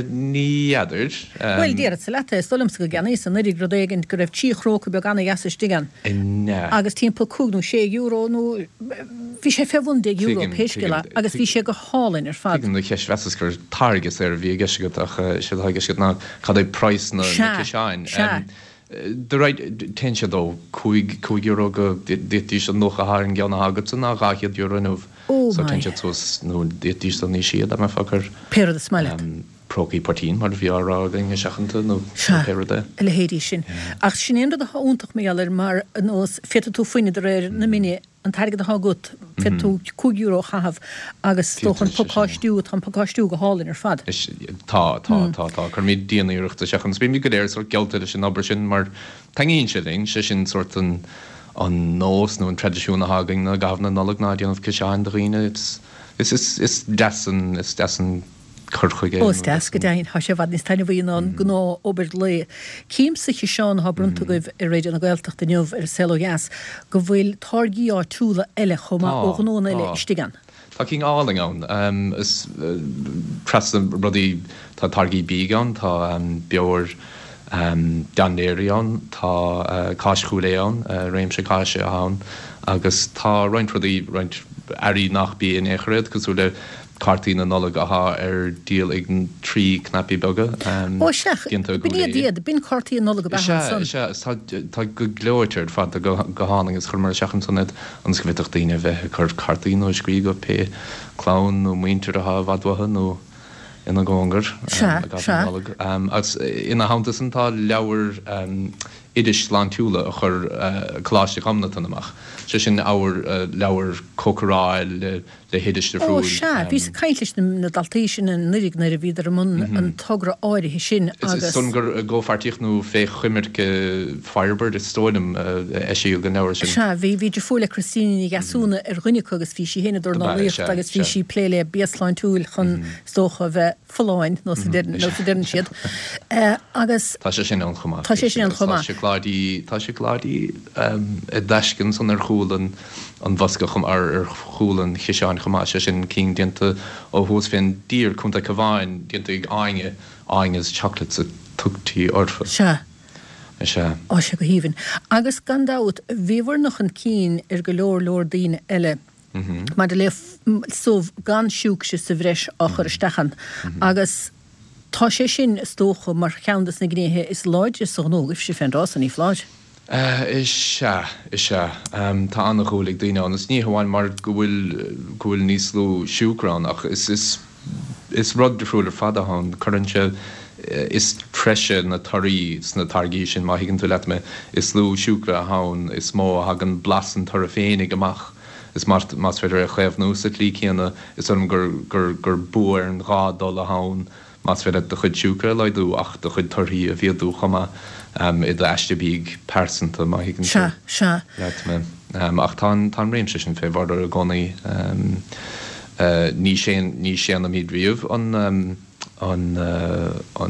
Ní fheadar. Bhuel, déarfadsa leat é, is dóigh liomsa go gceannaíos anuraidh rud éigin go raibh trí chróca beag ana-dheas istigh ann. Ina. Agus timpeall cúig nó sé euro nó bhí sé fé bhun deich euro Tuigim, pé scéal é tuigim. agus bhí sé go hálainn ar fad. Tuigim do cheist, mheasas gur táirge saor a bhí i gceist agat ach is é atá i gceist agat ná cad é praghas na Sea, ciseáin. sea. De réir, téann siad ó cúig, cúig euro go, d'fhéadfaidís an nócha atá ar an gceann atá agatsa ná dhá chéad euro inniu. Oh So my. téann siad suas nó d'fhéadfaidís dul níos sia dá mbeifeá ag cur Pé rud is maith leat. prócaí poitín mar a bhí á rá againn i seachanta nó Sea, pé rud é. a leithéidí sin. Ach sin é an rud atá iontach mar gheall air mar ar nós, féadfaidh tú fuineadh de réir na mine an t-airgead atá agat, féadfaidh tú cúig euro a chaitheamh agus is dócha an pacáistiú, tá an pacáistiú go hálainn ar fad. Is, tá, tá, tá, tá. Cuirimid dian-iarracht isteach ann. Bímid go léir sórt geallta leis an obair sin mar taitníonn sé linn, sé sin sórt an, an nós nó an traidisiún atá againn i gcaitheamh na Nollag ná déanamh ciseáin do dhaoine. It's, is, is, is deas an, is deas an cur chuige Ó, is deas go deimhin. Tá sé i bhfad níos taitneamhaí ná an gnáth-obair lae. Cím sa chiseán atá bronnta agaibh ar Raidió na Gaeltachta inniu ar An Saol Ó Dheas go bhfuil táirgí áitiúla eile chomh maith ó ghnóanna eile istigh ann. Tá cinn álainn ann. Is trasna rudaí, tá táirgí bídh ann, tá beoir Dan Leary ann, tá cáis Chúil Aodha ann, réimse cáise ann agus tá roinnt rudaí, roinnt earraí nach bia in aon chor iad, cosúil le cártaí na Nollag athá ar díol ag trí cnaipí beaga Ó sea, déanta i b'in gCúil iad Aodha. iad, b'in cártaí na Nollag ab Is ea ea, ansan. is ea, is tá, tá go gleoite ar fad, tá go, go hálainn agus chuireamar isteach ansan iad ionas go bhféadfadh daoine a bheith ag cur cártaí nó ag scríobh go pé clann nó muintir athá i bhfad uathu nó ina gcóngar Sea, i gcaitheamh sea. na Nollag. Agus ina theannta san tá leabhair oidis shláintiúla a chuir Coláiste Ghobnatan amach, sé sin abhar leabhar cócaráil le le hoidis Ó difriúil. sea, bhíos ag caint leis na daltaí sin anuraidh nuair a bhíodar i mbun an togra áirithe sin Is agus. dóigh liom gur i gcomhpháirtíocht nó fé choimirce Firebird is dóigh liom a eisíodh an leabhar sin. Sea, bhí, bhí deirfiúr le Christina Ní Dheasúna ar dhuine acu agus bhí sí féin ag Ab ea, dornálaíocht sea, agus bhí sea. sí ag plé le bia sláintiúil chun, is dócha, a bheith folláin, nós a deireann siad. Agus. Tá sé sin ann chomh maith. Tá sé sin ann chomh maith. Tá seacláidí, tá seacláidí i dtaisce ansan ar chúl an an bhosca chomh, ar ar chúl an chiseáin chomh maith, sé sin cinn déanta ó thuas fén dtír, Contae Cabháin, déanta ag Áine, Áine's Chocolates a tugtaí orthu. Sea. Is ea. Á, sea, go haoibhinn. Agus gan dabht, bhíobhair-ne chun cinn ar go leor leor daoine eile maidir le subh gan siúcra sa bhreis á chur isteach ann. Agus tá sé sin, is dócha, mar cheann de na gnéithe is láidre sa ghnó agaibhse fén dtráth san, ní foláir? Is ea, is ea. Tá an-dhúil ag daoine ann. Is ní hamháin mar go bhfuil, go bhfuil níos lú siúcra ann ach is, is, is rud difriúil ar fad atá ann. Cuireann sé, is treise na torthaí sna táirgí sin, má thuigeann tú leat mé. Is lú siúcra atá ann, is mó a thagann blas an toraidh féinig amach. Is más féidir é a chaomhnú sa tslí céanna, is dóigh liom gur, gur, gur bua ar an dhá dul atá ann más féidir leat do chuid siúcra a laghdú ach do chuid torthaí a mhéadú chomh maith i d'aiste bídh pearsanta, má thuigeann tú Sea, sea. leat mé. Ach tá an, tá an réimse sin fé bhorradh i gcónaí. Ní séan, ní séanaimid riamh an, an,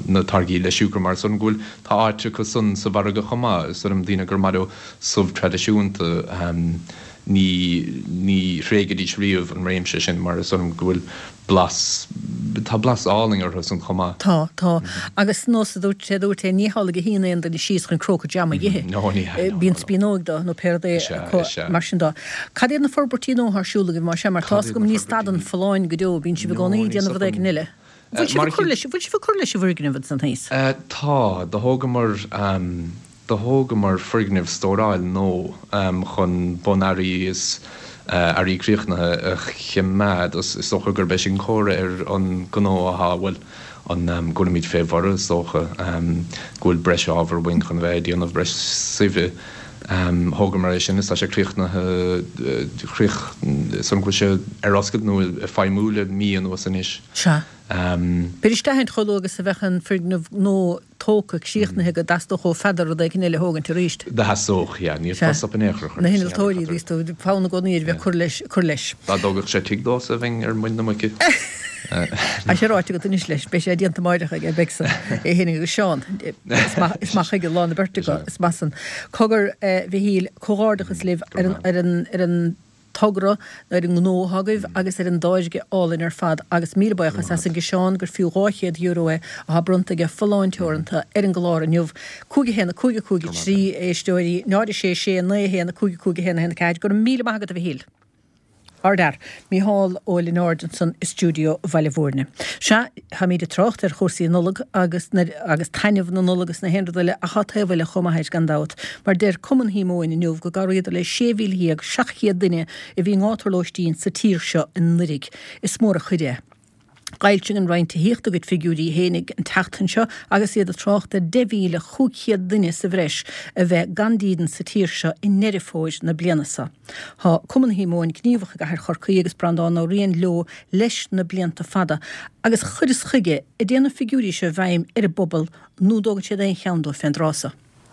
na táirgí le siúcra mar is dóigh liom go bhfuil, tá áit acu san sa mhargadh chomh maith. Is dóigh liom daoine gur maith leo subh traidisiúnta, ní, ní thréigfidís riamh an réimse sin mar is dóigh liom go bhfuil blas, tá blas álainn orthu san chomh maith. Tá, tá. Agus nós a dúirt sé, dúirt é, ní hamhlaidh a shuíonn aon duine síos chun cróca jam a dh'ithe. No, ní hea, no, Bíonn no. spíonóg dó nó pé rud é Is ea, acu is ea. mar sin dó. Cad iad na forbairtí nua atá ar siúl agaibh mar sin? Mar Cad tá's iad agam na ní stadann forbairtí? folláin go deo, bíonn sibh i No, gcónaí ag ní déanamh rud éigin stopann. eile. Bhfuil sibh Mar ag cur leis, bhfuil sibh ag cur leis an bhfoirgneamh ansan thíos? Tá, do thógamar, do thógamar foirgneamh stóráil nua chun bunearraí is earraí críochnaithe a choimeád. Is dócha gurb é sin comhartha ar an gnó athá, bhuel, an go bhfuilimid fé bhorradh is dócha, go bhfuil breis ábhair uainn chun a bheith ag déanamh breis suibhe. Thógamar é sin is tá sé críochnaithe, chríoch, is dóigh liom go bhfuil sé ar oscailt nó ag feidhmiú le mí anuas anois. Sea. B'fhéidir isteach aint chomh luath agus a bheadh an foirgneamh nua tógtha, críochnaithe go dteastódh ó Pheadar rud éigin eile a thógaint arís. Do theastódh, yeah. Ní Sea. fhéadfá stop in aon chor a chur Na leis, hinnealtóirí, bhíos tú, fonn i gcónaí air bheith ag cur leis, cur leis. Dá dtógfadh sé tigh domhsa bheinn ar muin na muice. Tá sé ráite agat anois leis, beidh sé déanta amáireach aige, beidh san, é fhéinig agus Seán. Is maith, is maith chuige lá na beirte acu, is maith san. Cogar, a Mhichíl, comhghairdeachas libh ar an, ar an, ar an togra, ar an ngnó atá agaibh agus ar an dtáirge álainn ar fad agus míle buíochas as an gciseán gur fiú dhá chéad euro é atá bronnta aige Folláin Teoranta ar an gclár inniu. Cúig a haon, a cúig, a cúig, a trí, a éisteoirí, náid a sé, sé, naoi, a haon, a cúig, a cúig, a haon, a haon, a ceathair. Go raibh míle maith agat a Mhichíl. Ardfhear. Mícheál Ó Lionáird ansan i stiúideo Bhaile Bhúirne. Sea, táimid ag trácht ar chúrsaí Nollag agus agus taitneamh na Nollag agus na haon rud eile ach tá taobh eile chomh maith air gan dabht. Mar deir Cumann Shíomóin inniu go gcabhraíodar le sé mhíle dhéag seacht chéad duine a bhí i ngátar lóistín sa tír seo anuiridh. Is mór an chuid é. D'fhoilsigh an Roinn Tithíochta a gcuid figiúirí fhéinig an tseachtain seo agus iad ag trácht ar deich mhíle chúig chéad duine sa bhreis a bheith gan dídean sa tír seo i nDeireadh Fómhair na bliana seo. Tá Cumann Shíomóin gníomhach i gcathair Chorcaí agus Breandán Ó Riain leo leis na blianta fada agus chuireas chuige an dtéann na figiúirí seo i bhfeidhm ar an bpobal nó an dtógann siad aon cheann dóibh fén dtráth seo.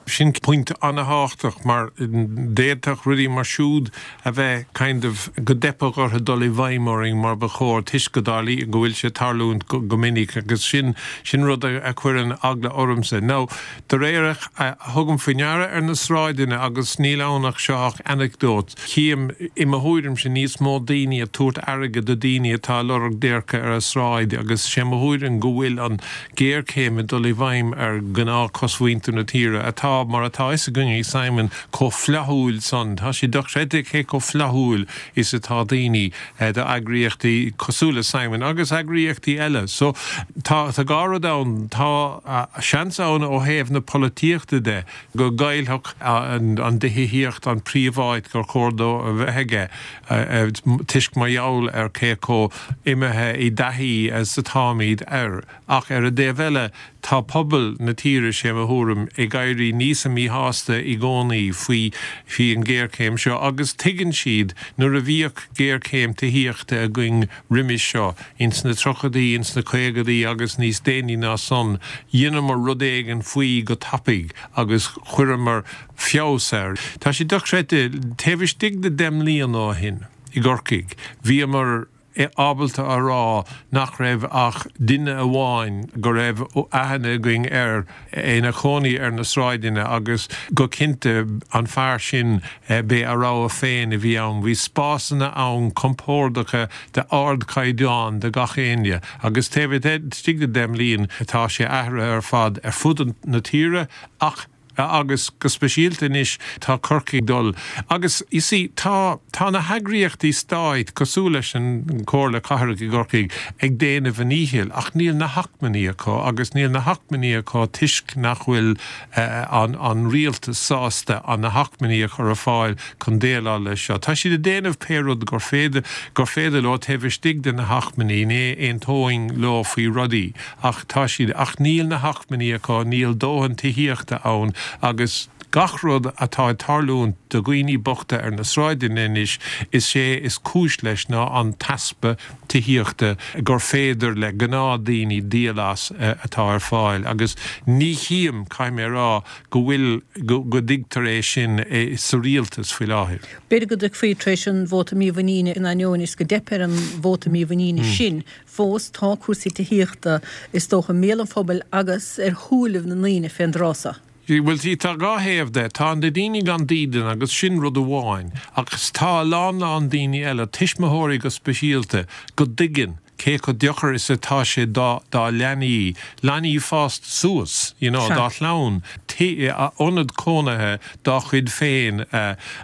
Sin pointe an-thábhachtach mar d'fhéadfadh rudaí mar siúd a bheith kind of go dteipfeadh orthu dul i bhfeidhm orainn mar ba chóir toisc go dtarlaíonn go bhfuil sé ag tarlúint go minic agus sin sin rud a chuireann eagla ormsa. Now de réir a thugaim faoi ndeara ar na sráideanna agus níl ann ach seo ach anecdote, chím i mo thuairimse níos mó daoine ag tabhairt airgead do daoine atá ag lorg déirce ar an sráid agus sé mo thuairim go bhfuil an géarchéim ag dul i bhfeidhm ar gnáth cosmhuintir na tíre atá mar atá fhios againn Simon chomh flaithiúil san. Tá sé dochreidte cé chomh flaithiúil is atá daoine do eagraíochtaí cosúil le Simon agus eagraíochtaí eile. So tá tá dhá rud ann tá seans ann ó thaobh na polaitíochta de go gcaillfeadh an an tithíocht an príomháit gur chóir dó a bheith aige toisc mar gheall ar cé chomh imithe i dtaithí is atáimid air. Ach ar an dtaobh eile tá pobal na tíre sé mo thuairim ag éirí níos míshásta i gcónaí faoi faoi an géarchéim seo agus tuigeann siad nuair a bhíodh géarchéim tithíochta againn roimis seo ins na tríochaidí, ins na caogaidí agus níos déanaí ná san, dheineamar rud éigin faoi go tapaidh agus chuireamar feabhas air. Tá sé dochreidte, taobh istigh de deich mbliana ó shin i gCorcaigh, bhíomar ábalta a rá nach raibh ach duine amháin go raibh aithne againn air ina chónaí ar na sráideanna agus go cinnte an fear sin b'é a rogha féin a bhí ann. Bhí spásanna ann compordacha de ardchaighdeán do gach éinne agus taobh istigh de deich mbliana tá sé athraithe ar fad ar fud na tíre ach agus go speisialta anois tá Corcaigh dul agus you see tá tá na heagraíochtaí stáit cosúil leis an Comhairle Cathrach i gCorcaigh ag déanamh a ndíchill ach níl na hacmhainní acu agus níl na hacmhainní acu toisc nach bhfuil an an rialtas sásta an na hacmhainní a chur ar fáil chun déileáil leis seo. Tá siad ag déanamh pé rud gur féidir gur féidir leo taobh istigh de na hacmhainní ní aontóinn leo faoi rudaí ach tá siad ach níl na hacmhainní acu níl dóthain tithíochta ann agus gach rud atá ag tarlúint do dhaoine bochta ar na sráideanna anois is sé is cúis leis ná an t-easpa tithíochta gur féidir le gnáthdaoine díol as atá ar fáil agus ní chím caithfidh mé a rá go bhfuil go dtuigtear é sin sa rialtas faoi láthair. B'fhéidir go dtuigfí tar éis an vóta mímhuiníne in ainneoin is go dteip ar an vóta mímhuiníne sin fós tá cúrsaí tithíochta is dócha i mbéal an phobail agus ar shúilibh na ndaoine fén dtráth seo. Bhuel tá dhá thaobh de, tá na daoine gan dídean agus sin rud amháin, agus tá a lán lán daoine eile, tuismitheoirí go speisialta, go dtuigeann cé chomh deacair is atá sé dá dá leanaí, leanaí fásta suas, you know, dá chlann, ionad cónaithe dá chuid féin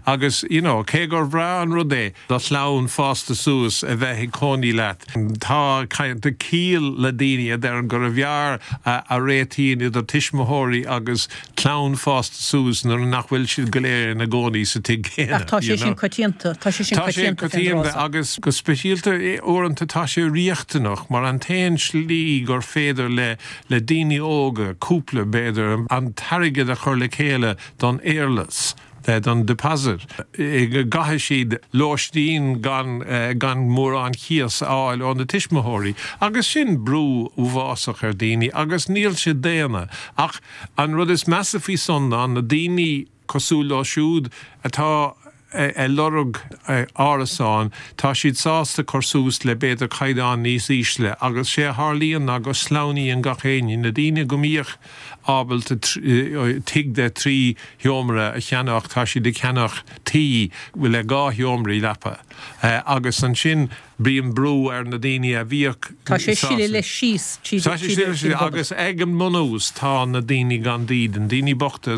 agus, you know, cé gur bhreá an rud é do chlann fásta suas a bheith ag cónaí leat, tá ciall le daoine a deireann gurbh fhearr a réitíonn idir tuismitheoirí agus clann fásta suas nuair nach bhfuil siad go léir ina gcónaí sa tigh céanna. Ach tá sé sin coitianta, tá sé sin Tá sé coitianta fén coitianta dtráth seo. agus go speisialta uaireanta tá sé riachtanach mar an t-aon slí gur féidir le le daoine óga cúpla b'fhéidir an t-airgead a chur le chéile don éarlais don deposit. Caithfidh siad lóistín gan gan mórán cíos a fháil ó na tuismitheoirí, agus sin brú uafásach ar daoine agus níl sé daonna. Ach an rud is measa faoi san ná na daoine cosúil leo siúd atá ag lorg árasán, tá siad sásta cur suas le b'fhéidir caighdeán níos ísle agus sé a tharlaíonn ná go sleamhnaíonn gach éinne, na daoine go mbíodh ábalta tigh de trí sheomra a cheannach, tá siad ag ceannach tí le dhá sheomraí leapa agus ansin bíonn brú ar na daoine a bhíodh Tá sé sileadh leis síos tríd Tá sé tríd sileadh an bpobal. agus ag an mbunús tá na daoine gan dídean, daoine bochta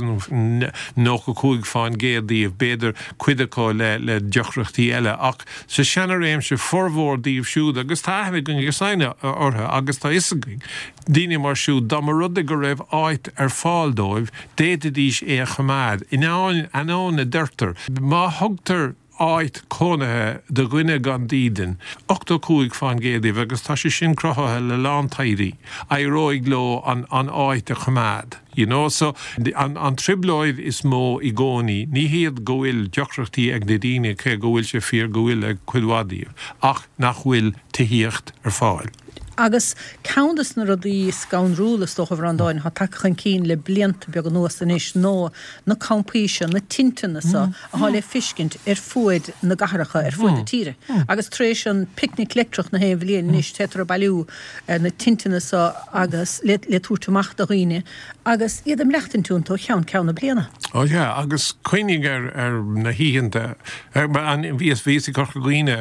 nócha cúig faoin gcéad díobh, b'fhéidir cuid acu le le deacrachtaí eile, ach sa seana-réimse formhór díobh siúd agus tá aithne againn agus aithne orthu agus tá fhios againn daoine mar siúd dá mba rud é go raibh áit ar fáil dóibh, d'fhéadfaidís é a choimeád. In ainneoin a deirtear, má thugtar áit cónaithe do dhuine gan dídean, ochtó cúig fán gcéad díobh, agus tá sé sin cruthaithe le lán taighde, éireoidh leo an an áit a choimeád. You know, so an, an trioblóid is mó i gcónaí, ní hiad go bhfuil deacrachtaí ag na daoine cé go bhfuil sé fíor go bhfuil ag cuid mhaith díobh, ach nach bhfuil tithíocht ar fáil. Agus ceann de na rudaí scanrúla is dócha a Bhreandáin atá tagtha chun cinn le blianta beaga anuas anois ná na campaí seo, na tinteanna seo atá le feiscint ar fuaid na gcathracha, ar fuaid na tíre. Agus tar éis an Picnic Leictreach na haon bhliain anois téitear ag bailiú na tinteanna seo agus le le tabhairt amach do dhaoine agus iad ag maireachtaint iontu ó cheann ceann na bliana. Ó yeah, agus cuimhnigh ar ar na hoícheanta, bhíos bhíos i gCorca Dhuibhne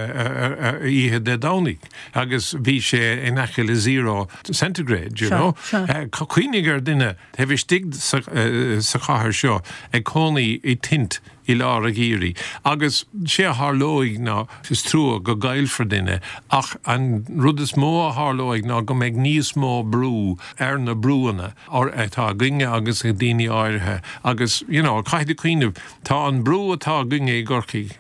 oíche Dé Domhnaigh agus bhí sé in aice le zero centigrade, you know. Cuimhnigh ar duine taobh istigh sa chathair seo ag cónaí i tent i lár an gheimhridh. Agus sé a tharlóidh ná is trua go gcaillfear duine ach an rud is mó a tharlóidh ná go mbeidh níos mó brú ar na brúanna atá againne agus ag daoine áirithe agus you know, caithfidh tú cuimhneamh tá an brú atá againne i gCorcaigh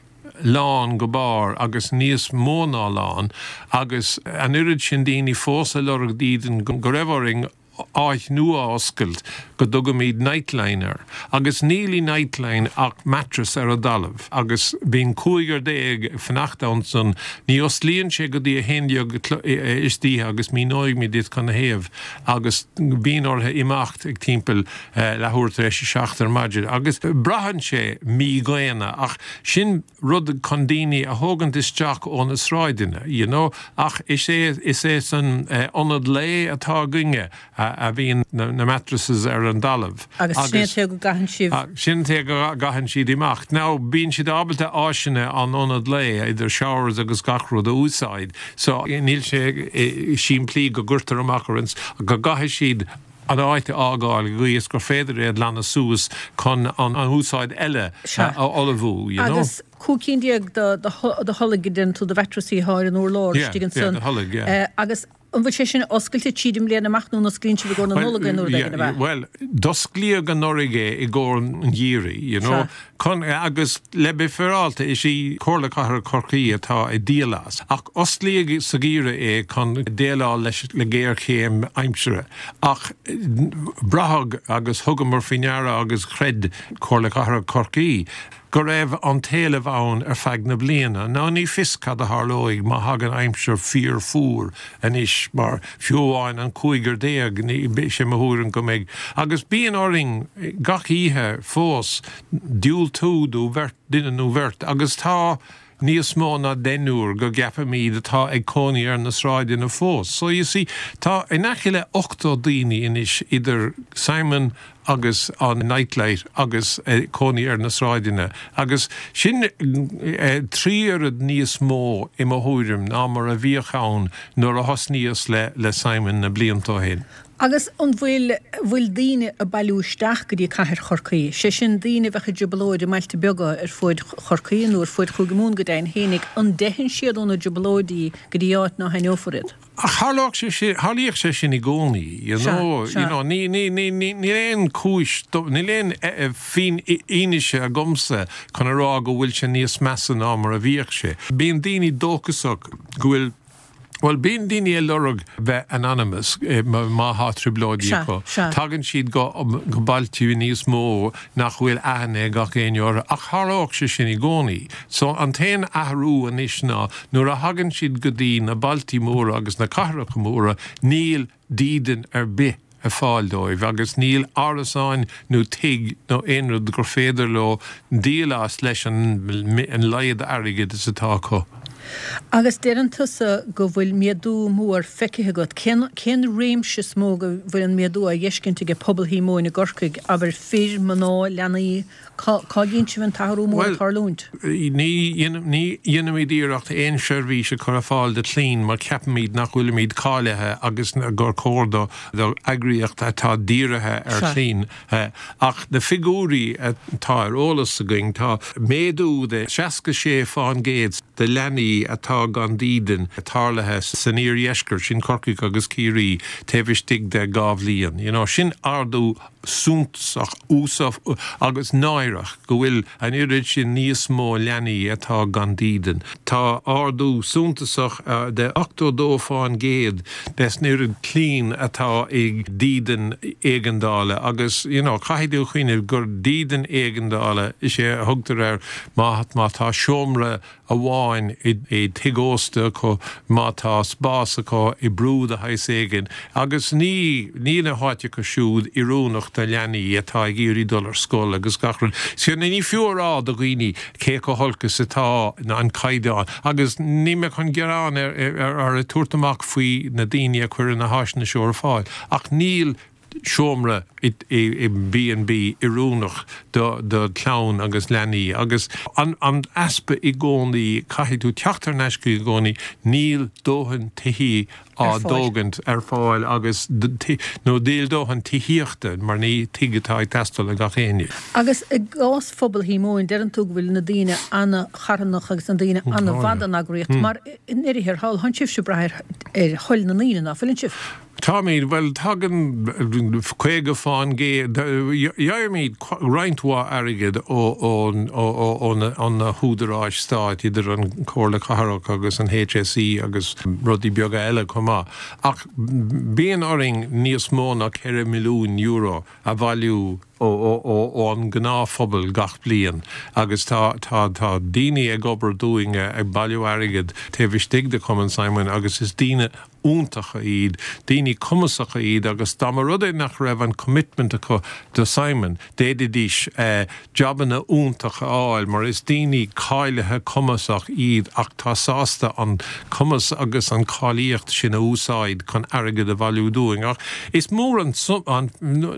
lán go barr agus níos mó ná lán agus an oiread sin daoine fós ag lorg dídean go raibh orainn áit nua a oscailt go dtugaimid Nightline air. Agus níl i Nightline ach mattress ar an dtalamh agus bíonn cúigear déag ag fanacht ansan, ní osclaíonn sé go dtí a haon déag istoíche agus míneoidh mé duit canathaobh agus bíonn orthu imeacht ag timpeall leathuair tar éis a seacht ar maidin agus braitheann sé mídhaonna ach sin rud chun daoine a thógaint isteach ó na sráideanna, you know, ach is é is é san ionad lae atá againne a bhíonn na mattresses ar an dtalamh. Agus sin é go gcaitheann sibh. Sin é go gcaitheann siad amach. Now bíonn siad ábalta áiseanna an ionad lae idir showers agus gach rud a úsáid, so níl sé simplí go gcuirtear amach ar go gcaithfidh siad an áit a fhágáil go is gur féidir iad glanadh suas chun an úsáid eile a ullmhú, you know. Agus cúig cinn déag de tholg a deireann tú de mhatrasaí atá ar an urlár istigh ansan. Agus an bhfuil sé sin oscailte tríd an mbliain amach nó an osclaíonn sibh i gcomhair na Nollag nó rud éigin ab ea? Bhuel, d'osclaíodh anuraidh é i gcomhair an gheimhridh, you know. Chun, agus le bheith féaráilte, is í Comhairle Cathrach Chorcaí atá ag díol as. Ach osclaíodh sa gheimhreadh é chun déileáil leis le géarchéim aimsire. Ach braitheadh agus thugamar faoi ndeara agus chreid Comhairle Cathrach Chorcaí go raibh an t-éileamh ann ar feadh na bliana. Now ní fios cad a tharlóidh má thagann aimsir fíorfhuar anois mar fiú amháin an cúigear déag ní sé mo thuairim go mbeidh. Agus bíonn orainn gach oíche fós diúltú do bheirt duine nó bheirt agus tá níos mó ná deichniúr go gceapaimid atá ag cónaí ar na sráideanna fós. So you see, tá in aice le ochtó daoine anois idir Simon agus an Nightlight agus cónaí ar na sráideanna agus sin trí oiread níos mó i mo thuairim ná mar a bhíodh ann nuair a thosnaíos le le Simon na blianta ó shin. Agus an bhfuil bhfuil daoine ag bailiú isteach go dtí cathair Chorcaí, sé sin daoine a bheadh i dtrioblóid i mbailte beaga ar fuaid Chorcaí nó ar fuaid Chúige Mumhan go deimhin fhéinig, an dteitheann siad óna dtrioblóidí go dtí áit ná haithneofar iad? Ach tharlódh sé sin, tharlaíodh sé sin i gcónaí, you know, you know, ní, ní, ní, ní, níl aon chúis, níl aon fhianaise agamsa chun a rá go bhfuil sé níos measa ná mar a bhíodh sé. Bíonn daoine dóchasach go bhfuil Bhuel, bíonn daoine ag lorg bheith anonymous má thá trioblóidí acu. Tagann siad go go bailte níos mó nach bhfuil aithne ag gach éinne orthu. Ach tharlódh sé sin i gcónaí. So an t-aon athrú anois ná nuair a thagann siad go dtí na bailtí móra agus na cathracha móra, níl dídean ar bith ar fáil dóibh agus níl árasáin nó tigh nó aon rud gur féidir leo díol as leis an an laghad airgid is atá acu. Agus deireann tusa go bhfuil méadú mór feicthe agat. Cén cén réimse is mó go bhfuil an méadú á fheiscint aige pobal Shíomóin i gCorcaigh, abair fir, mná, leanaí, cá cá gcíonn sibh an t-athrú mór ag tarlúint? Bhuel, ní ní dhéanaimid iarracht aon seirbhís a chur ar fáil do chlainn mar ceapaimid nach bhfuilimid cáilithe agus gur cóir do do eagraíocht atá dírithe ar chlainn. Ach na figiúirí atá ar eolas againn, tá méadú de seasca sé fán gcéad. de leanaí atá gan dídean tarlaithe san iardheisceart, sin Corcaigh agus Ciarraí, taobh istigh de dhá bhliain. You know, sin ardú suntasach uafásach agus náireach go bhfuil an oiread sin níos mó leanaí atá gan dídean. Tá ardú suntasach uh, de ochtó dó faoin gcéad des an oiread clainne atá ag dídean éigeandála agus you know, caithfidh tú cuimhneamh gur dídean éigeandála is é a thugtar air má má tá seomra amháin i dtigh ósta acu má tá spás acu i brú de shaghas éigin agus ní ní na háiteacha siúd oiriúnach do leanaí atá ag iarraidh dul ar scoil agus gach rud. So ní fiú rá do dhaoine cé chomh holc is atá na an caighdeán agus ní mé chun gearán ar ar ar tabhairt amach faoi na daoine a chuireann na háiseanna seo ar fáil ach níl seomra i B and B oiriúnach do do chlann agus leanaí agus an, an easpa i gcónaí caithfidh tú teacht ar ais i gcónaí níl dóthain tithe á dtógaint ar fáil agus nó níl dóthain tithíochta mar ní tigh atá ag teastáil le gach éinne. Agus i gcás phobal Shíomóin deireann tú go bhfuil na daoine an-charthanach agus na daoine an-mhaith don eagraíocht mar in ndeireadh thiar thall sibhse ag brath ar thoil na ndaoine nach bhfuileann sibh. Táimid well tagann caoga faoin gcéad gheibhimid roinnt mhaith airgid ó na húdaráis stáit idir an Comhairle Cathrach agus an H S E agus rudaí beaga eile chomh maith. Ach bíonn orainn níos mó ná ceithre milliún euro a bhailiú ón ngnáthphobal gach bliain agus tá tá tá daoine ag obair dúinn ag bailiú airgid taobh istigh de Chumann Simon agus is daoine iontacha iad, daoine cumasacha iad agus dá mba rud é nach raibh an commitment acu do Simon, d'fhéadfaidís eh, jobanna iontacha a fháil mar is daoine cáilithe cumasach iad ach tá sásta an cumas agus an cáilíocht sin a úsáid chun airgead a bhailiú dúinn ach is mór an, an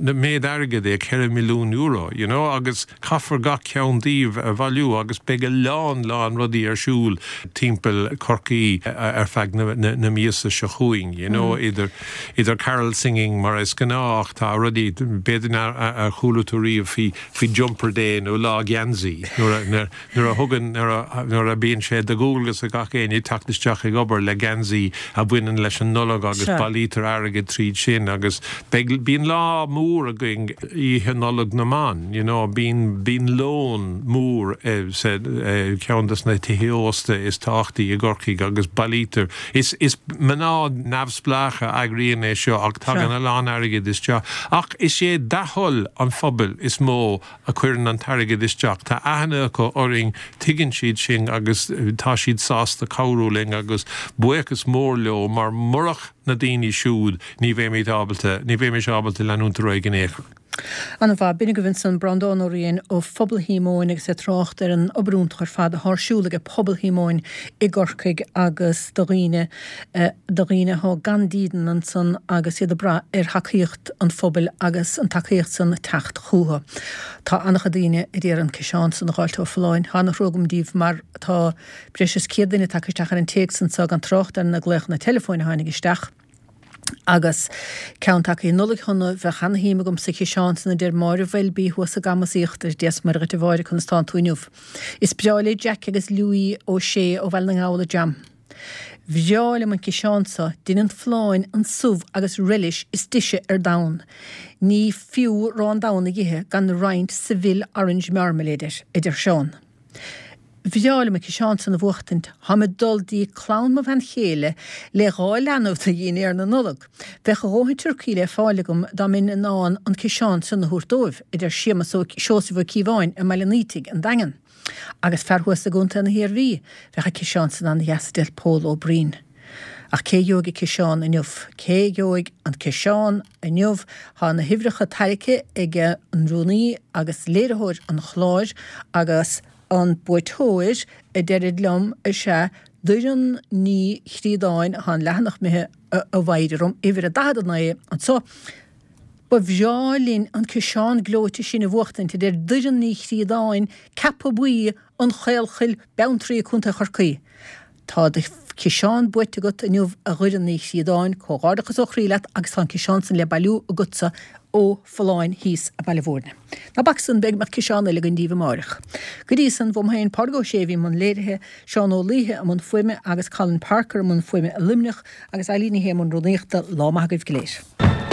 na méid airgead é ceithre milliún euro, you know, agus caithfear gach ceann díobh a bhailiú agus beidh a lán lán rudaí ar siúl timpeall Chorcaí ar feadh na, na, na míosa seo chugainn, you know, mm. idir idir carol singing mar is gnách tá rudaí b'fhéidir ar chuala tú riamh faoi faoi jumper day nó lá geansaí nuair a thugann nuair a bíonn sé de dhualgas ar gach éinne teacht isteach ag obair le geansaí a bhaineann leis an Nollaig agus bailítear airgead tríd sin agus bíonn lá mór againn Oíche Nollag na mBan, you know, bíonn bíonn lón mór eh, eh, ceann des na tithe ósta is tábhachtaí i gCorcaigh agus bailítear. Is is mná neamhspleácha a eagraíonn é seo ach tagann a lán airgead isteach. Ach is é dea-thoil an phobail is mó a chuireann an t-airgead isteach. Tá aithne acu orainn tuigeann siad sin agus eh, tá siad sásta cabhrú linn agus buíochas mór leo mar murach na daoine siúd ní bheimid ábalta ní bheimis ábalta leanúint ar aghaidh in aon chor. An-mhaith b'in agaibh ansan Breandán Ó Riain ó Phobal Shíomóin agus é ag trácht ar an obair iontach ar fad atá ar siúl ag Pobal Shíomóin i gCorcaigh agus do dhaoine eh, do dhaoine atá gan dídean ansan agus iad ag brath ar thacaíocht an phobail agus an tacaíocht san teacht chucu. Tá an-chuid daoine a d'iarr an ciseán san a fháil ó Folláin tá an-thrua agam díobh mar tá breis is céad duine tagtha isteach ar an téacs anseo gan trácht ar na glaochanna telefóin a tháinig isteach. Agus ceann tagtha Nollaig shona bheadh an-shuim agam sa chiseán san a deir Máire Bheilbí thuas i gCamas Íochtar Dia 's Muire dhuit a Mháire conas tánn tú inniu. Is breá le Jack agus Louis Ó Sé ó Bhaile na nGall jam. Bhreá liom an ciseán seo déanann Folláin an subh agus relish is deise ar domhan. Ní fiú arán donn a ithe gan roinnt Seville Orange Marmalade air, a deir Seán. Bhreá liom an ciseán san a bhuachtaint, Táim ag dul dtí clann mo bhean chéile le dhá leanbh do dhinnéar na Nollag. Bheadh a dhóthain turcaí le fáil agam dá mbeinn in ann an ciseán san a thabhairt dóibh, a deir Séamus Ó Seosamh Ó Cíobháin i mBaile an Fhaoitigh, an Daingean. Agus fear thuas i gContae na hIarmhí, bheadh an ciseán san an-deas a deir Pól Ó Breen. Ach cé gheobhaidh an ciseán inniu? Cé gheobhaidh an ciseán inniu? Tá na huimhreacha tairgthe ag an rúnaí agus léiritheoir an chláir agus an buaiteoir a deirid liom is ea Doireann Ní Chríodáin tá an leathanach imithe a mhaidir orm uimhir a daichead a naoi anseo. Ba bhreá linn an ciseán gleoite sin a bhuachtaint a deir Doireann Ní Chríodáin Ceapadh Buí an Chaolchoill Beanntraí Contae Chorcaí. Tá do Ciseán buaite agat inniu a Dhoireann Ní Chríodáin, comhghairdeachas ó chroí leat agus tá an ciseán san le bailiú agatsa ó Folláin thíos i Baile Mhúirne. Ná bac san, b'fhéidir go mbeadh ciseán eile againn daoibh amáireach. Go dtí san, uaim féin Pádraig Ó Sé a bhí i mbun léirithe, Seán Ó Laoithe i mbun fuaime agus Colin Parker i mbun fuaime i Luimneach agus Eileen Ní Shé i mbun rúnaíochta. Lá maith agaibh go léir.